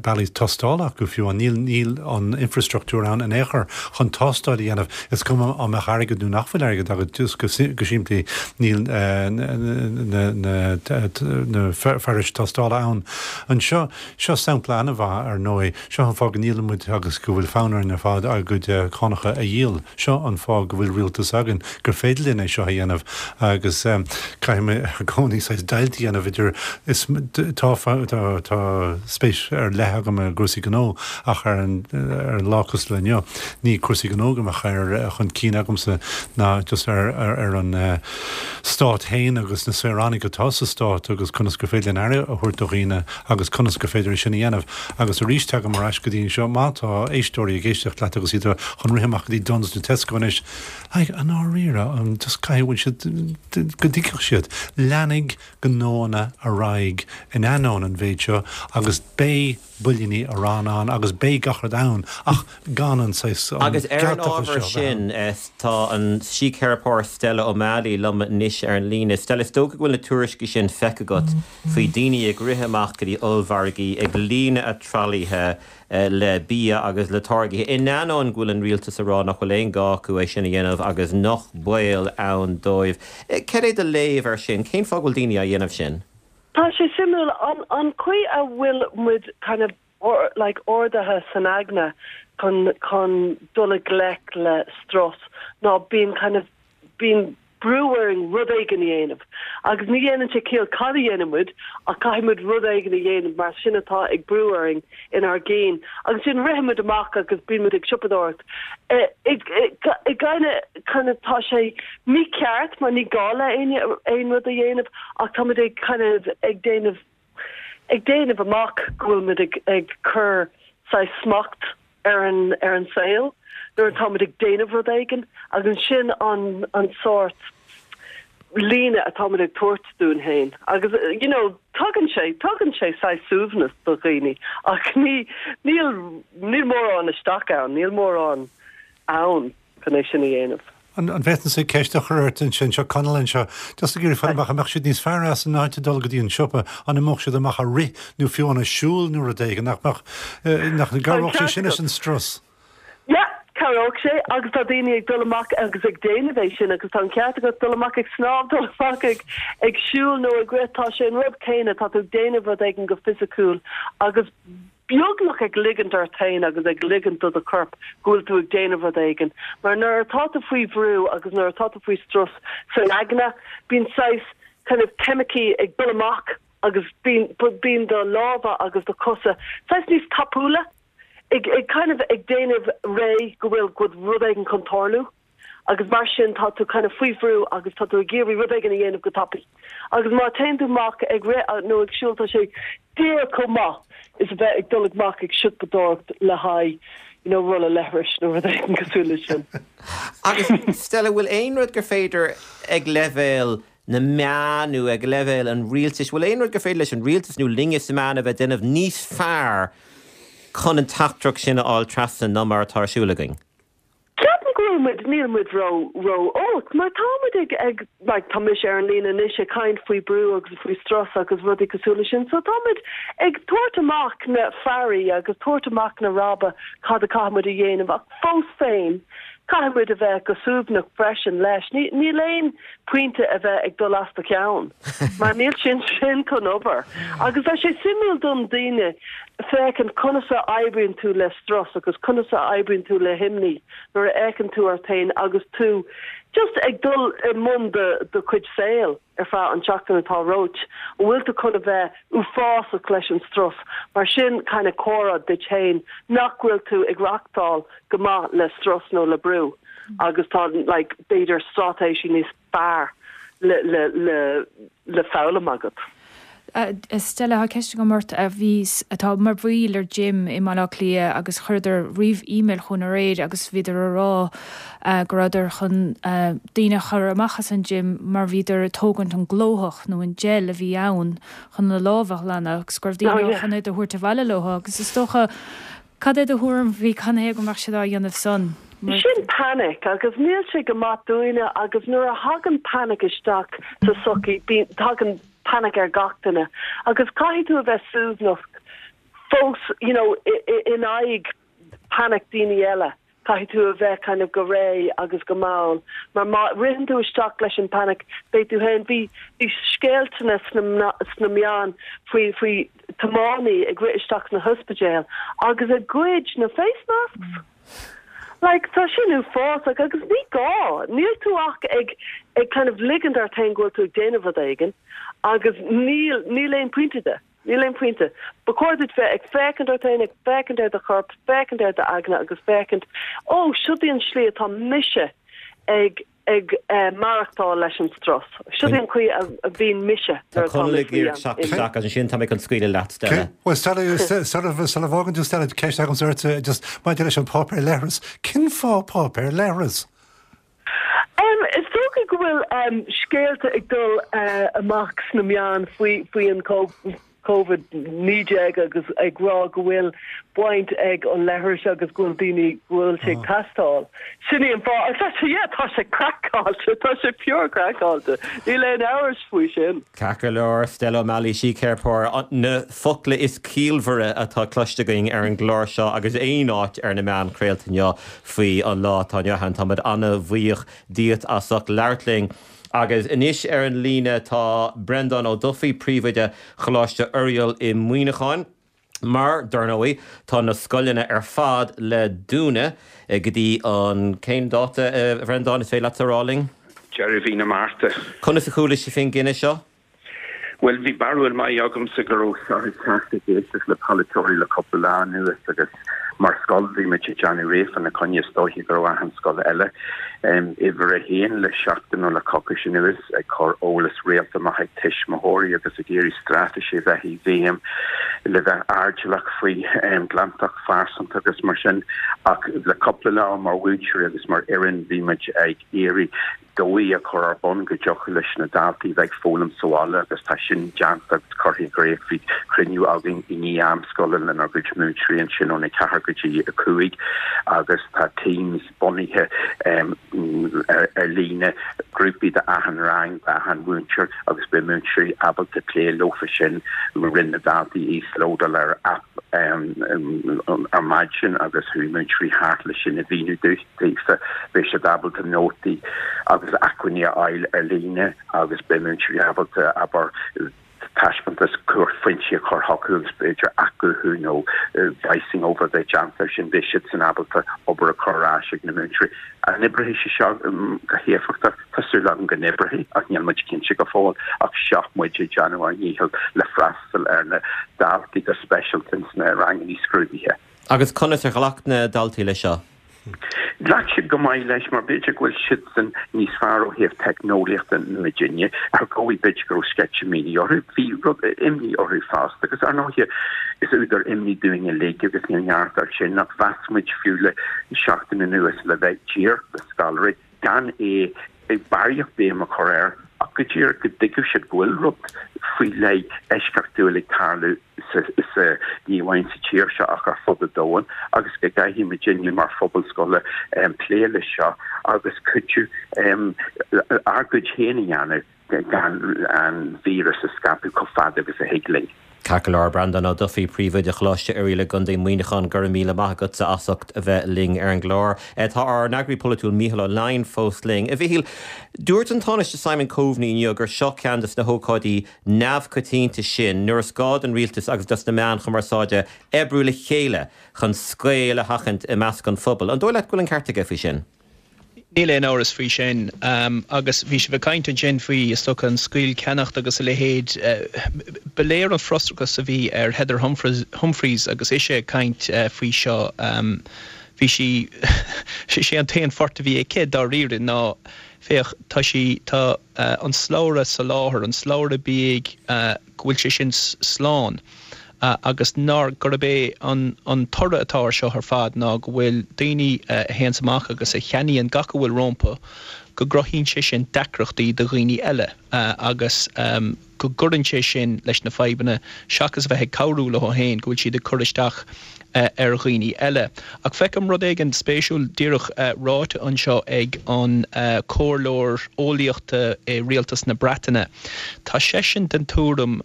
bealaí tástála acu fiú, níl níl an infrastruchtúr ann in aon chor chun tástáil a dhéanamh. Is cuma an mbeadh airgead nó nach bhfuil airgead agat, just go go simplí níl na na na fearais tástála ann. Anseo, seo sampla an-mhaith ar ndóigh, seo an fáth go ndíolann muid agus go bhfuil fonn orainn ar fad ár gcuid cánacha a dhíol. Seo an fáth go bhfuil rialtas againn, gur féidir linn é seo a dhéanamh agus caithfidh mé i gcónaí saghas deighilt a dhéanamh idir is tá tá tá spéis ar leith agam i gcúrsaí gnó ach ar an ar an lá cosúil le inniu ní cúrsaí gnó go mbeadh ar chun cinn agamsa ná just ar ar ar an stát féin agus na saoránaigh atá sa stát agus conas gur féidir linn aire a thabhairt do dhaoine agus conas gur féidir é sin a dhéanamh. Agus arís tagaim ar ais go dtí seo má tá éisteoirí ag éisteacht leat agus iad chun rith amach go dtí Dunnes nó Tesco anois, like, i ndáiríre, an just caithfidh siad go dtuigfeadh siad leanfaidh gnóanna ar aghaidh in ainneoin an mhéid seo agus beidh builíní aráin ann agus beidh gach rud ann ach gan an saghas an Agus ar an gealtachas ábhar seo a bheith sin, ann. tá an síceiripeoir Stella O'Malley liom anois ar an líne. Stella, is dócha go bhfuil na tuairiscí sin feicthe agat faoi daoine ag rith amach go dtí ollmhargaí ag líonadh a dtralaithe le bia agus le táirgí in ainneoin go bhfuil an rialtas ag rá nach bhfuil aon gá acu é sin a dhéanamh agus nach baol ann dóibh. Cad é do léamh air sin? Cén fáth go bhfuil daoine á dhéanamh sin? Tá sé suimiúil an an chaoi a bhfuil muid kind of or, like ordaithe san aigne chun chun dul i ngleic le strus ná bíonn kind of bíonn brú orainn rud éigin a dhéanamh. Agus ní dhéanann sé ciall cad a dhéanann muid ach caithfidh muid rud éigin a dhéanamh mar sin atá ag brú orainn inár gcinn. Agus sin ritheann muid amach agus bíonn muid ag siopadóireacht. I gcoinne kind of tá sé mícheart mar ní gá le éinne aon rud a dhéanamh ach tá muid ag kind of ag déanamh ag déanamh amach go bhfuil muid ag ag cur saghas smacht ar an ar an saol nuair atá muid ag déanamh rud éigin agus sin an an sórt líne atá muid ag tabhairt dúinn féin agus you know tugann sé tugann sé saghas suaimhneas do dhaoine ach ní níl níl mórán isteach ann níl mórán ann chun é sin a dhéanamh. An bhféadfainnse ceist a chur ort ansin seo Conall anseo, just ag iarraidh fáil amach an mbeadh siad níos fearr as in áit a dul go dtí an siopa, an imeodh siad amach a rith nó fiú amháin a siúl nó rud éigin, nach mbeadh, nach gcabhródh sé sin leis an strus? Yeah, cabhródh sé agus tá daoine ag dul amach agus ag déanamh é sin agus tá an ceart agat dul amach ag snámh, dul amach ag ag siúl nó ag rith, tá sé an rud céanna, tá tú ag déanamh rud éigin go fisiciúil agus beagnach ag ligint ort féin agus ag ligint do do chorp go bhfuil tú ag déanamh rud éigin. Mar nuair atá tú faoi bhrú agus nuair atá tú faoi strus san aigne, bíonn saghas kind of ceimicí ag dul amach agus bíonn bíonn do lámha agus do chosa saghas níos tapúla ag ag kind of ag déanamh réidh go bhfuil go bhfuil rud éigin chun tarlú. Agus mar sin tá tú kind of faoi bhrú agus tá tú ag iarraidh rud éigin a dhéanamh go tapaidh. Agus má téann tú amach ag rith nó ag siúl tá sé díreach chomh maith is a bheith ag dul amach ag siopadóireacht le haghaidh you know rolla leithris nó rud éigin cosúil leis sin. Agus Stella, bhfuil aon rud gur féidir ag leibhéal na meán nó ag leibhéal an rialtais, bhfuil aon rud gur féidir leis an rialtas nó linne sna meáin a bheith déanamh níos fearr chun an teachtaireacht sin a fháil trasna ná mar atá ar siúl againn? Ceapaim go bhfuil muid, níl muid ró ró olc mar tá muid ag ag like tá mise ar an líne anois ag caint faoi brú agus faoi strus agus rudaí cosúil leis sin so tá muid ag tabhairt amach na faraí agus tabhairt amach na rabhaidh cad a caithfidh muid a dhéanamh ach fós féin caithfidh muid a bheith go suaimhneach freisin leis. Ní níl aon pointe a bheith ag dul as do cheann mar níl sin sin chun obair. Agus tá sé suimiúil don daoine féachaint conas a oibríonn tú le strus agus conas a oibríonn tú le himní nuair a fhéachann tú ort féin agus tú just ag dul i mbun do do chuid saoil ar feadh an tseachtain atá romhat. An bhfuil tú chun a bheith uafásach leis an strus? Mar sin kind of comhartha duit féin nach bhfuil tú ag reachtáil go maith le strus nó le brú agus tá like b'fhéidir straitéisí níos fearr le le le le foghlaim agat. Stella, tá ceist agam ort a bhí atá mar bhaill ar gym i mBaile Átha Cliath agus chuireadar ríomh email chugainn aréir agus bhíodar a rá go rabhadar chun daoine a chur amach as an gym mar bhíodar ag tógaint an glóthach nó an gel a bhí ann chun na lámha a ghlanadh agus go raibh daoine chun é a thabhairt abhaile leo agus is dócha cad é do thuairim faoi cad é go mbeadh siad á dhéanamh san? Sin panic agus níl sé go maith dúinne agus nuair a thagann panic isteach sa sochaí tagann panic ar gach duine agus caithfidh tú a bheith suaimhneach fós you know in aghaidh panic daoine eile caithfidh tú a bheith kind of go réidh agus go mall mar má ritheann tú isteach leis an panic beidh tú féin bhí bhí scéalta sna sna meáin faoi faoi tiománaí ag rith isteach sna hospidéil agus ag goid na face masks. Like tá sin uafásach agus ní gá níl tú ach ag ag kind of ligint ort féin go bhfuil tú ag déanamh rud éigin agus níl níl aon pointe de. Níl aon pointe. Ba chóir duit bheith ag féachaint ort féin ag féachaint ar do chorp, féachaint ar d'aigne agus féachaint ó seo í an slí atá mise ag ag maireachtáil leis an strus. Seo í an chaoi a bhíonn mise nuair atá mé faoi an isteach agus ansin tá mé chun scaoileadh leat, Stella. Well Stella, sula bhfágann tú Stella, ceist agamsa ort just maidir leis an páipéar leithris. Cén fáth páipéar leithris? Um, is dócha go bhfuil um, scéalta ag dul uh, amach sna meáin faoi faoi an Covid naoi déag agus ag rá go bhfuil baint ag an leithreas agus go bhfuil daoine go bhfuil sé ag teastáil. Sin í an fáth agus tá sé yeah tá sé craiceáilte, tá sé pure craiceáilte. Níl aon amhras faoi sin. Ceart go leor, Stella O'Malley, síceiripeoir, na focla is ciallmhaire atá cloiste againn ar an gclár seo agus aon áit ar na meáin chraolta inniu faoi an lá atá inniu ann. Táimid an-bhuíoch díot as ucht labhairt linn. Agus anois ar an líne tá Breandán Ó Dufaigh, Príomhoide Choláiste Oiriall i Muineachán. Mar, dar ndóigh, tá na scoileanna ar fad le dúnadh go dtí an, cén dáta, a Bhreandáin, is féidir leat a rá linn? Deireadh mhí na Márta. Conas a chuala sibh faoin gcinneadh seo? Bhuel, bhí barúil maith agamsa go raibh seo ag teacht ag éisteacht le polaiteoirí le cúpla lá anuas agus mar scoil bhí muid ag déanamh réidh fána choinne is dóiche go raibh achan scoil eile uimhir a haon le seachtain nó le coicís anuas ag cur eolas rialta amach ag tuismitheoirí agus ag iarraidh straitéisí a bheith i bhfeidhm le bheith airdeallach faoi ghlantacht phearsanta agus mar sin ach le cúpla lá mar mhúinteoirí agus mar fhoireann bhí muid ag iarraidh dóigh a chur ar bun go dtiocfadh leis na daltaí bheith ag foghlaim sa bhaile agus tá sin déanta agus curtha i gcrích. Bhí cruinniú againn i ndiaidh am scoile lenár gcuid múinteoirí ansin óna ceathair go dtí a cúig agus tá Teams bunaithe ar líne, grúpaí d'achan rang, d'achan mhúinteoir agus beidh múinteoirí ábalta plé leofa sin. Rinne na daltaí íoslódáil ar aip ar maidin agus chuaigh múinteoirí thart leis sin a mhíniú daofa. Beidh siad ábalta nótaí agus acmhainní a fháil ar líne agus beidh múinteoirí ábalta, abair, taispeántas cuarphointí a chur chucu agus b'fhéidir athghuthú nó voicing over a bheith déanta air sin, beidh siadsan ábalta obair a chur ar ais ag na múinteoirí. An oibreoidh sé seo go héifeachtach? Tá súil agam go n-oibreoidh ach níl muid cinnte go fóill. Ach seo muid ag déanamh ár ndícheall le freastal ar na daltaí go speisialta ins na ranganna scrúdaithe. Agus conas ar ghlac na daltaí leis seo? Ghlac siad go maith leis mar b'fhéidir go bhfuil siadsan níos fearr ó thaobh teicneolaíochta ná muidinne. Ar dhóigh b'fhéidir go raibh sceitimíní orthu. Bhí rud imní orthu fosta agus ar ndóighe is údar imní dúinn uilig agus níl neart air sin ach mheas muid fiú le seachtain anuas le bheith díreach le scoláirí gan é barraíocht béim a chur air ach go díreach go dtuigfeadh siad go bhfuil rud faoi leith eisceachtúil ag tarlú sa, sa, ní amháin sa tír seo ach ar fud an domhain agus go gcaithfidh muidinne mar phobal scoile plé leis seo agus cuidiú ár gcuid féin a dhéanamh gan an víreas a scaipeadh chomh fada agus a thig linn. Ceart go leor, Breandán Ó Dufaigh, Príomhoide Choláiste Oirialla i gContae Mhuineacháin, go raibh míle maith agatsa as ucht a bheith linn ar an gclár. Tá ár n-eagraí polaitiúil Mícheál Ó Leidhin fós linn. A Mhichíl, dúirt an Tánaiste Simon Coveney inniu gur seo ceann des na hócáidí neamhchoitianta sin nuair is gá don rialtas agus dos na meáin chumarsáide oibriú le chéile chun scaoll a sheachaint i measc an phobail. An dóigh leat go bhfuil an ceart aige faoi sin? Níl aon amhras faoi sin. Agus bhí sibh ag caint ansin faoi, is dócha, an scaollcheannacht agus a leithéid. Ba léir an frustrachas a bhí ar Heather Humphreys agus ise ag caint faoi seo. Bhí sí, is é an t-aon phort a bhí aici dáiríre ná, féach, tá sí, tá an slabhra soláthair, an slabhra bídh, go bhfuil sé sin slán. agus nár, gurb é an an toradh atá ar seo ar fad ná go bhfuil daoine a théanns amach agus a cheannaíonn gach a bhfuil rompu, go gcruthaíonn sé sin deacrachtaí do dhaoine eile agus go gcuireann sé sin leis na fadhbanna seachas a bheith ag cabhrú leo féin, go bhfuil siad ag cur isteach ar dhaoine eile. Ach feicim rud éigin spéisiúil díreach ráite anseo ag an comhairleoir eolaíochta i rialtas na Breataine. Tá seisean den tuairim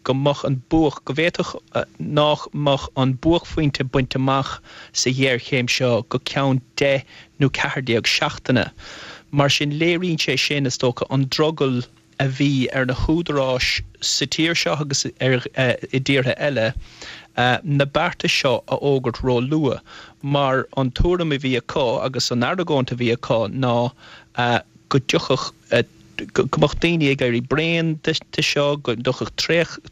go mbeadh an buaic, go bhféadfadh nach mbeadh an buaicphointe bainte amach sa ghéarchéim seo go ceann deich nó ceathair déag seachtaine. Mar sin léiríonn sé sin, is dócha, an drogall a bhí ar na húdaráis sa tír seo agus i dtíortha eile na bearta seo a fhógairt ró-luath mar an tuairim a bhí acu agus an argóint a bhí acu ná go dtiocfadh go mbeadh daoine ag éirí bréan de seo, go dtiocfadh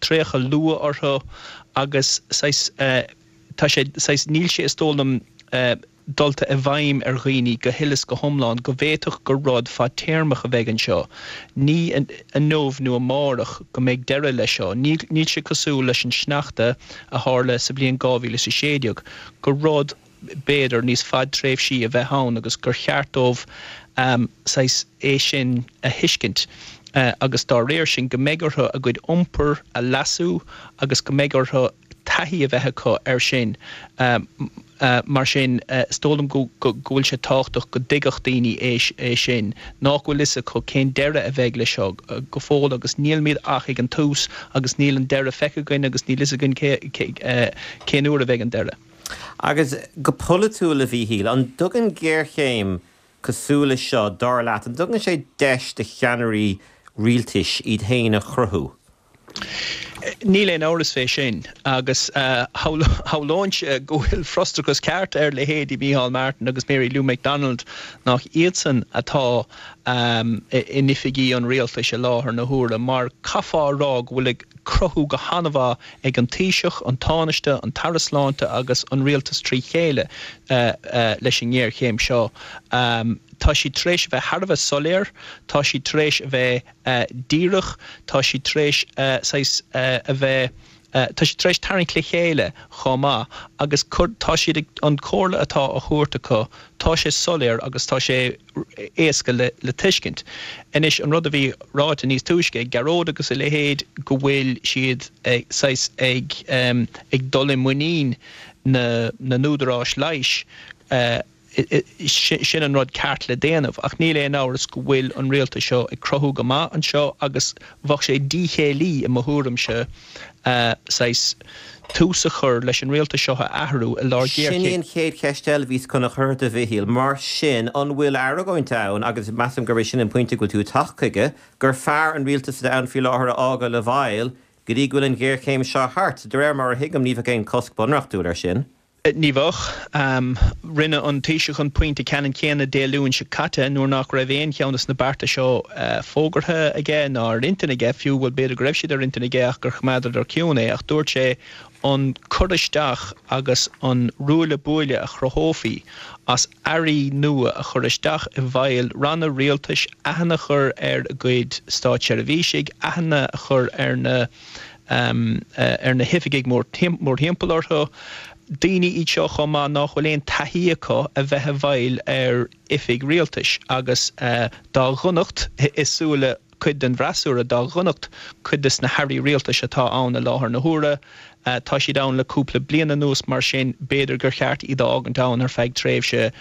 traochadh luath orthu agus saghas tá sé saghas níl sé is dóigh liom dulta i bhfeidhm ar dhaoine go huile is go hiomlán go bhféadfadh gur rud fadtéarmach a bheidh anseo. Ní inniu nó amárach go mbeidh deireadh leis seo. Níl sé cosúil leis an sneachta a tharla sa bhliain dhá mhíle is a sé déag, gur rud, b'fhéidir, níos fadtréimhsí a bheith ann agus gur cheart dóibh saghas é sin a thuiscint agus dá réir sin go mbeidh orthu a gcuid iompair a leasú agus go mbeidh orthu taithí a bheith acu air sin. Mar sin, is dóigh liom go bhfuil sé tábhachtach go dtuigfeadh daoine é sin, nach bhfuil fhios acu cén deireadh a bheidh leis seo go fóill agus nílimid ach ag an tús agus níl an deireadh feicthe againn agus níl fhios againn cén uair a bheidh an deireadh. Agus go polaitiúil, a Mhíchíl, an dtugann géarchéim cosúil leis seo, dar leat, an dtugann sé deis do cheannairí rialtais iad féin a chruthú? Níl aon amhras fé sin agus shamhlóinnse go bhfuil frustrachas ceart ar leithéidí Micheál Martin agus Mary Lou McDonald nach iadsan atá in oifigí an rialtais i láthair na huaire mar caithfear a rá go bhfuil ag cruthú go han-mhaith ag an Taoiseach, an Tánaiste, an tAire Sláinte agus an rialtas trí chéile leis an ngéarchéim seo. Tá siad tar éis a bheith thar a bheith soiléir, tá siad tar éis a bheith díreach, tá siad tar éis saghas a bheith, tá siad tar éis tarraingt le chéile chomh maith agus tá siad ag, an comhairle atá á thabhairt acu, tá sé soiléir agus tá sé éasca le le tuiscint. Anois an rud a bhí ráite níos túisce ag Gearóid agus a leithéid go bhfuil siad saghas ag ag dul i muinín na na n-údaráis leighis, Sin an rud ceart le déanamh, ach níl aon amhras go bhfuil an rialtas seo ag cruthú go maith anseo agus bheadh sé díchéillí i mo thuairimse saghas tús a chur leis an rialtas seo a athrú i lár Sin í géarchéim. an chéad cheist eile a bhíos chun a chur ort a Mhichíl. Mar sin, an bhfuil argóint ann, agus measaim gurb é sin an pointe go bhfuil tú ag teacht chuige, gur fearr an rialtas atá ann faoi láthair a fhágáil i bhfeighil go dtí go bhfuil an ghéarchéim seo thart? De réir mar a thuigim, ní bheadh aon chosc bunreachtúil air sin. Ní bheadh. Rinne an Taoiseach an pointe ceannann céanna Dé Luain seo caite nuair nach raibh aon cheann de na bearta seo fógartha aige ná ar intinn aige, fiú, bhuel b'fhéidir go raibh siad ar intinn aige ach gur choimeádadar ciúin é, ach dúirt sé an cur isteach agus an ruaille buaille a chruthófaí as airí nua a chur isteach i bhfeighil ranna rialtais, aithne a chur ar a gcuid státseirbhísigh, aithne a chur ar na ar na hoifigigh mórthimpeall orthu. Daoine iad seo chomh maith nach bhfuil aon taithí acu a bheith i bhfeighil ar oifig rialtais agus dá dhonacht i súile cuid den bhfreasúra, dá dhonacht cuid de na hairí rialtais atá ann i láthair na huaire, tá siad ann le cúpla bliain anuas mar sin b'fhéidir gur cheart iad a fhágaint ann ar feadh tréimhse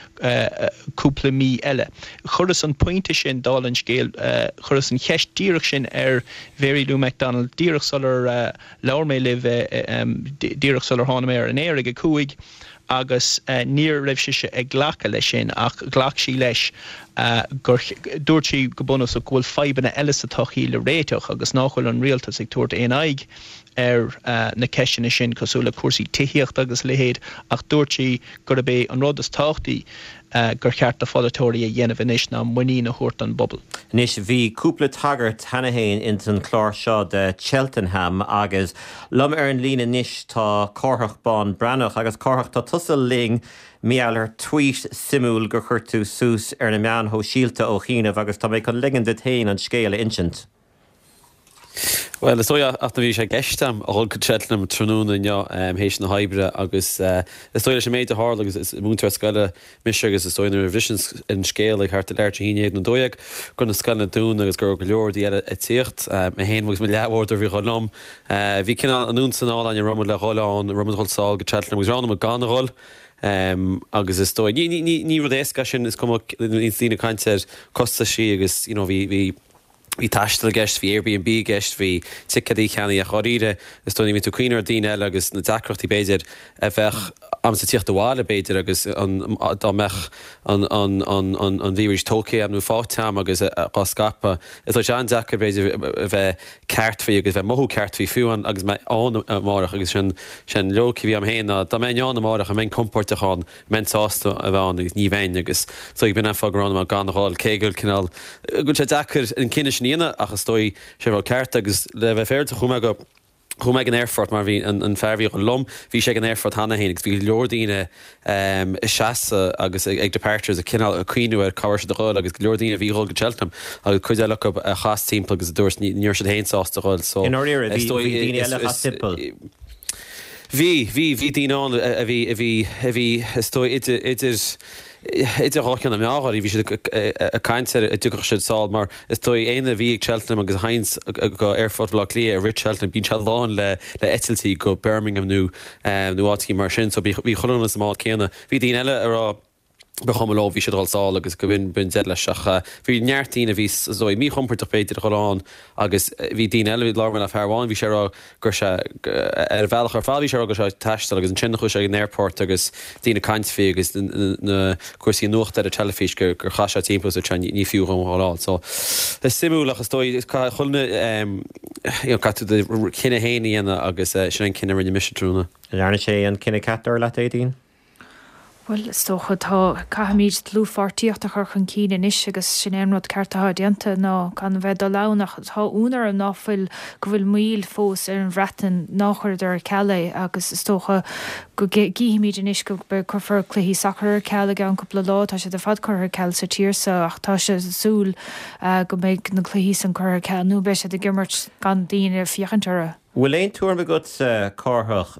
cúpla mí eile. Chuireas an pointe sin, dála an scéil, chuireas an cheist díreach sin ar Mhary Lou McDonald díreach sular labhair mé libh, díreach sular tháinig mé ar an aer ag a cúig agus ní raibh sise ag glacadh leis sin ach ghlac sí leis gur, dúirt sí go bunúsach go bhfuil fadhbanna eile sa tsochaí le réiteach agus nach bhfuil an rialtas ag tabhairt aon aghaidh ar na ceisteanna sin cosúil le cúrsaí tithíochta agus a leithéid ach dúirt sí gurb é an rud is tábhachtaí gur cheart do pholaiteoirí a dhéanamh anois ná muinín a thabhairt don bpobal. Anois, bhí cúpla tagairt cheana féin ins an chlár seo de Cheltenham agus liom ar an líne anois tá Cárthach Bán Breathnach agus Cárthach tá tusa linn mar gheall ar tweet suimiúil gur chuir tú suas ar na meáin shóisialta ó chianaibh agus tá mé chun ligean duit féin an scéal a insint. Bhuel, is dóigh ach bhí sé i gceist agam a dhul go Cheltenham tráthnóna inniu théis na hoibre agus is dóigh leis an méid a tharla agus is múinteoir scoile mise agus is dóigh nuair a bhris an scéal ag thart ar leathuair tar éis a haon déag nó dó dhéag go raibh na scoileanna dúnta agus go raibh go leor rudaí eile ag tíocht, mé féin agus mo leathbhádóir a bhí ag dhul liom. Bhí cineál anonn is anall againn an raibh muid le dhul ann, an raibh muid ag dhul sall go Cheltenham agus roghnaigh muid gan a dhul agus is dóigh ní ní ní rud éasca é sin is cuma níos daoine ag caint ar costaisí agus you know bhí bhí Bhí taisteal i gceist, bhí Airbnb i gceist, bhí ticéadaí a cheannaigh ach dháiríre is dóigh ní bhíonn tú ag cuimhneamh ar daoine eile agus na deacrachtaí b'fhéidir a bheadh agamsa tíocht abhaile b'fhéidir agus an dá mbeadh an an an an an víris tógtha agam nó faighte agam agus á scaipeadh. Is dóigh sé an-deacair b'fhéidir a bheith ceart faoi agus bheith mothú ceart faoi fiú an agus mé ann amárach agus sin sin loighic a bhí agam féin ná dá mbeinn ann amárach an mbeinn compordach ann, an mbeinn sásta a bheith ann agus ní bheinn agus is dóigh b'in an fáth gur roghnaigh mé gan a dhul cé go bhfuil cineál go bhfuil sé deacair an cinneadh sin a dhéanamh ach is dóigh sé rud ceart agus le bheith féaráilte chuaigh mé go chuaigh mé ag an aerfort mar bhí an an fear a bhí ag dul liom bhí sé ag an aerfort cheana féin agus bhí go leor daoine ag seasamh agus ag departures ag cineál ag cuimhneamh ar cá raibh siad a dhul agus go leor daoine a bhí ag dhul go Cheltenham agus cuid eile acu a chas timpeall agus a dúirt ní raibh siad féin sásta a dhul so I ndáiríre is bhí dóigh bhí daoine is eile a is chas timpeall. Bhí, bhí, bhí daoine ann a bhí, a bhí, a bhí, is dóigh, idir, idir, idir dhá cheann na meá, dháiríre, bhí siad ag caint ar an dtiocfadh siad sall mar is dóigh éinne a bhí ag Cheltenham agus a théanns go Aerfort Bhaile Átha Cliath ag rith Cheltenham, bíonn sé lán le, le eitiltí go Birmingham nó, nó áiteachaí mar sin so bhí, bhí chuile dhuine sa mbád céanna. Bhí daoine eile a raibh. ba chuma leo bhí siad ag dul sall agus go b'in b'in deireadh leis ach bhí neart daoine a bhí is dóigh míchompordach b'fhéidir a dhul ann agus bhí daoine eile bhí labhair mé le fear amháin bhí sé ag rá go raibh sé ar a bhealach ar fad bhí sé ag rá go raibh sé ag taisteal agus ansin chuaigh sé ag an airport agus daoine ag caint faoi agus na cúrsaí nuachta ar an teilifís gur gur chaith sé timpeall is ní fiú dhom a dhul ann so is suimiúil ach is dóigh caithfidh chuile you know caithfidh tú do chinneadh féin a dhéanamh agus sin an cinneadh a rinne mise tráthnóna. An ndearna sé an cinneadh ceart dar leat Aedín? Bhuel, is dócha, tá, caithfimid dlúthpháirtíocht a chur chun cinn anois agus sin é an rud ceart atá déanta ná gan a bheith ag dul ann ach tá ionadh orm ná fuil, go bhfuil moill fós ar an Bhreatain, ná chuireadar ar ceal é agus is dócha go gcífimid anois go cuirfear cluichí sacair ar ceal i gceann cúpla lá, tá siad ar fad curtha ar ceal sa tír seo ach tá sé súil go mbeidh na cluichí san curtha ar ceal nó beidh siad ag imirt gan daoine ag féachaint orthu. Bhfuil aon tuairim agatsa, Cárthach,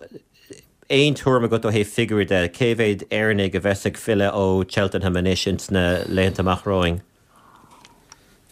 aon tuairim agat ó thaobh figiúirí de, cé mhéad Éireannaigh a bheas ag filleadh ó Cheltenham anois ins na laethanta amach romhainn?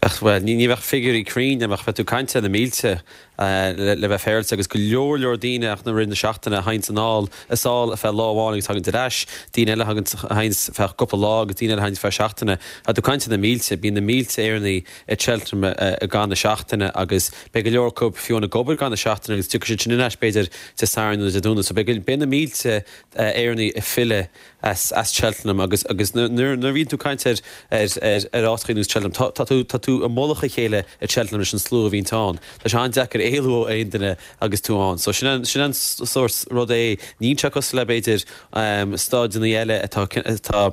Ach, bhuel, ní bheadh figiúirí cruinn agam ach bheadh tú ag caint ar na mílte le bheith féaráilte agus go leor leor daoine ach na rith na seachtaine a théanns anall is sall feadh lá amháin agus tagann ar ais, daoine eile a thagann a théanns feadh cúpla lá agus daoine eile a théanns feadh seachtaine. Tá tú ag caint ar na mílte, bíonn na mílte Éireannaigh i Cheltenham i gcaitheamh na seachtaine agus beidh go leor acu fiú ag obair i gcaitheamh na seachtaine agus tiocfaidh siad sin ar ais b'fhéidir Dé Sathairn nó Dé Domhnaigh. So beidh beidh na mílte Éireannaigh ag filleadh as as Cheltenham agus agus nuair nuair a bhíonn tú ag caint ar ar ar ar áiteacha ar nós Cheltenham tá tá tú tá tú i mullach a chéile i Cheltenham leis an slua a bhíonn ann. Tá sé an-deacair éalú ó aon duine agus tú ann. So sin an sin an sórt rud é. Níl sé cosúil le b'fhéidir staideanna eile atá atá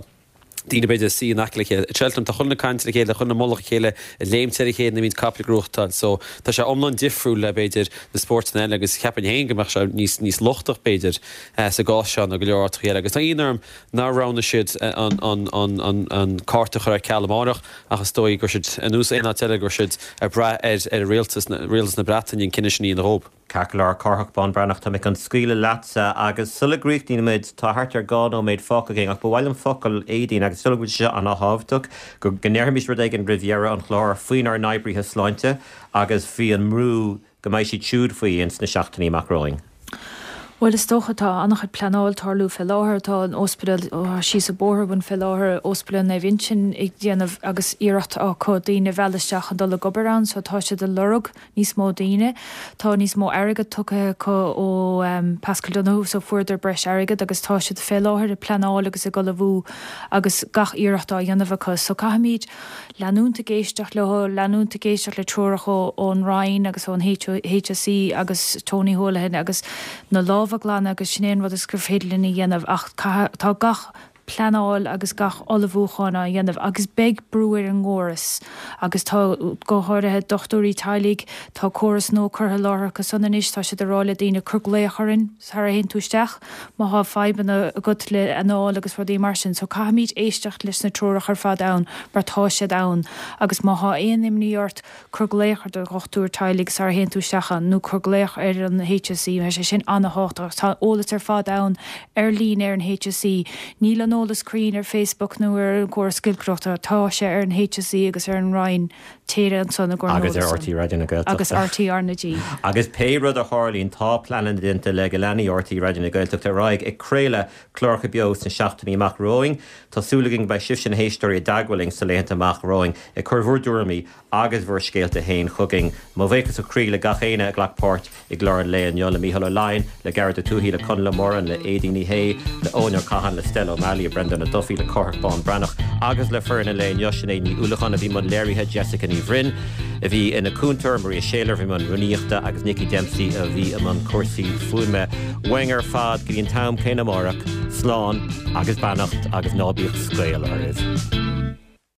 daoine b'fhéidir ag suí in aice le chéile. I Cheltenham tá chuile dhuine ag caint le chéile, chuile dhuine i mullach a chéile, ag léimt ar a chéile nuair a bhíonn capaill ag gnóthachtáil. So tá sé iomlán difriúil le b'fhéidir na spórtanna eile agus cheapfainn féin go mbeadh sé níos níos lochtach b'fhéidir sa gcás seo ná go leor áiteacha eile. Agus tá ionadh orm nár roghnaigh siad an an an an an cárta a chur ar ceal amárach ach is dóigh go raibh siad ar nós aon áit eile go raibh siad ag brath ar ar rialtas rialtas na Breataine an cinneadh sin a dhéanamh dhóibh. Ceart go leor, Cárthach Bán Breathnach, tá mé chun scaoileadh leatsa agus sula gcríochnaímid, tá thart ar dhá nóiméad fágtha againn ach ba mhaith liom focal Aedín agus is dóigh liom go bhfuil sé seo an-thábhachtach, go ndéarfaimis rud éigin roimh dheireadh an chláir faoinár n-oibrithe sláinte agus faoi an mbrú go mbeidh siad siúd faoi ins na seachtainí amach romhainn. Bhuel, is dócha, tá an-chuid pleanáil tarlú fé láthair. Tá an ospidéal síos an bóthar uainn fé láthair, Ospidéal Naomh Uinseann ag déanamh agus iarracht acu daoine a mhealladh isteach chun dul ag obair ann so tá siad ag lorg níos mó daoine. Tá níos mó airgead tugtha acu ó Paschal Donohoe so fuaireadar breis airgead agus tá siad fé láthair ag pleanáil agus ag ullmhú agus gach iarracht á dhéanamh acu. So caithfimid leanúint ag éisteacht leo, leanúint ag éisteacht le treoracha ón Roinn agus ón HSE agus Tony Holohan agus na lámha a ghlanadh agus sin é an rud is gur féidir linn a dhéanamh ach tá gach pleanáil agus gach ullmhúchán á dhéanamh agus beidh brú ar an gcóras agus tá go háirithe dochtúirí teaghlaigh, tá córas nua curtha i láthair acu san anois, tá siad ag rá le daoine cuir glaoch orainn sara théann tú isteach má thá fadhbanna agat le anáil agus rudaí mar sin so caithfimid éisteacht leis na treoracha ar fad ann mar tá siad ann agus má thá aon imní ort cuir glaoch ar do dhochtúir teaghlaigh sara théann tú isteach ann nó cuir glaoch ar an HSE, tá sé sin an-thábhachtach. Tá eolas ar fad ann ar líne ar an HSE. Níl an eolas cruinn ar Facebook nó ar an gcóras giolcaireachta, tá sé ar an HSE agus ar an Roinn, téir ansan i gcomhair an Agus ar eolais RTÉ Raidió na Gaeltachta. Agus RTÉ R na G. Agus pé rud a tharlaíonn, tá pleananna déanta le go leanfaidh RTÉ Raidió na Gaeltachta ar aghaidh ag craoladh cláracha beo sna seachtainí amach romhainn. Tá súil againn go mbeidh sibhse na héisteoirí i dteagmháil linn sna laethanta amach romhainn ag cur bhur dtuairimí agus bhur scéalta féin chugainn. Mo bhuíochas ó chroí le gach éinne a ghlac páirt i gclár an lae inniu, le Mícheál Ó Laighin, le Gearóid Ó Tuathaigh, le Conall Ó Móráin, le Aedín Ní Shé, le Eoin Ó Catháin, le Stella O'Malley, le Brendan Ó Dufaigh, le Cárthach Bán Breathnach agus le foireann an lae inniu, Sinéad Ní Uallacháin a bhí i mbun léirithe, Jessica Ní Bhroin a bhí ina cúntóir, Maria Shayler a bhí i mbun rúnaíochta agus Nicky Dempsey a bhí i mbun cúrsaí fuaime. Uainn ar fad go dtí an t-am céanna amárach, slán agus beannacht agus ná bíodh scaoll oraibh.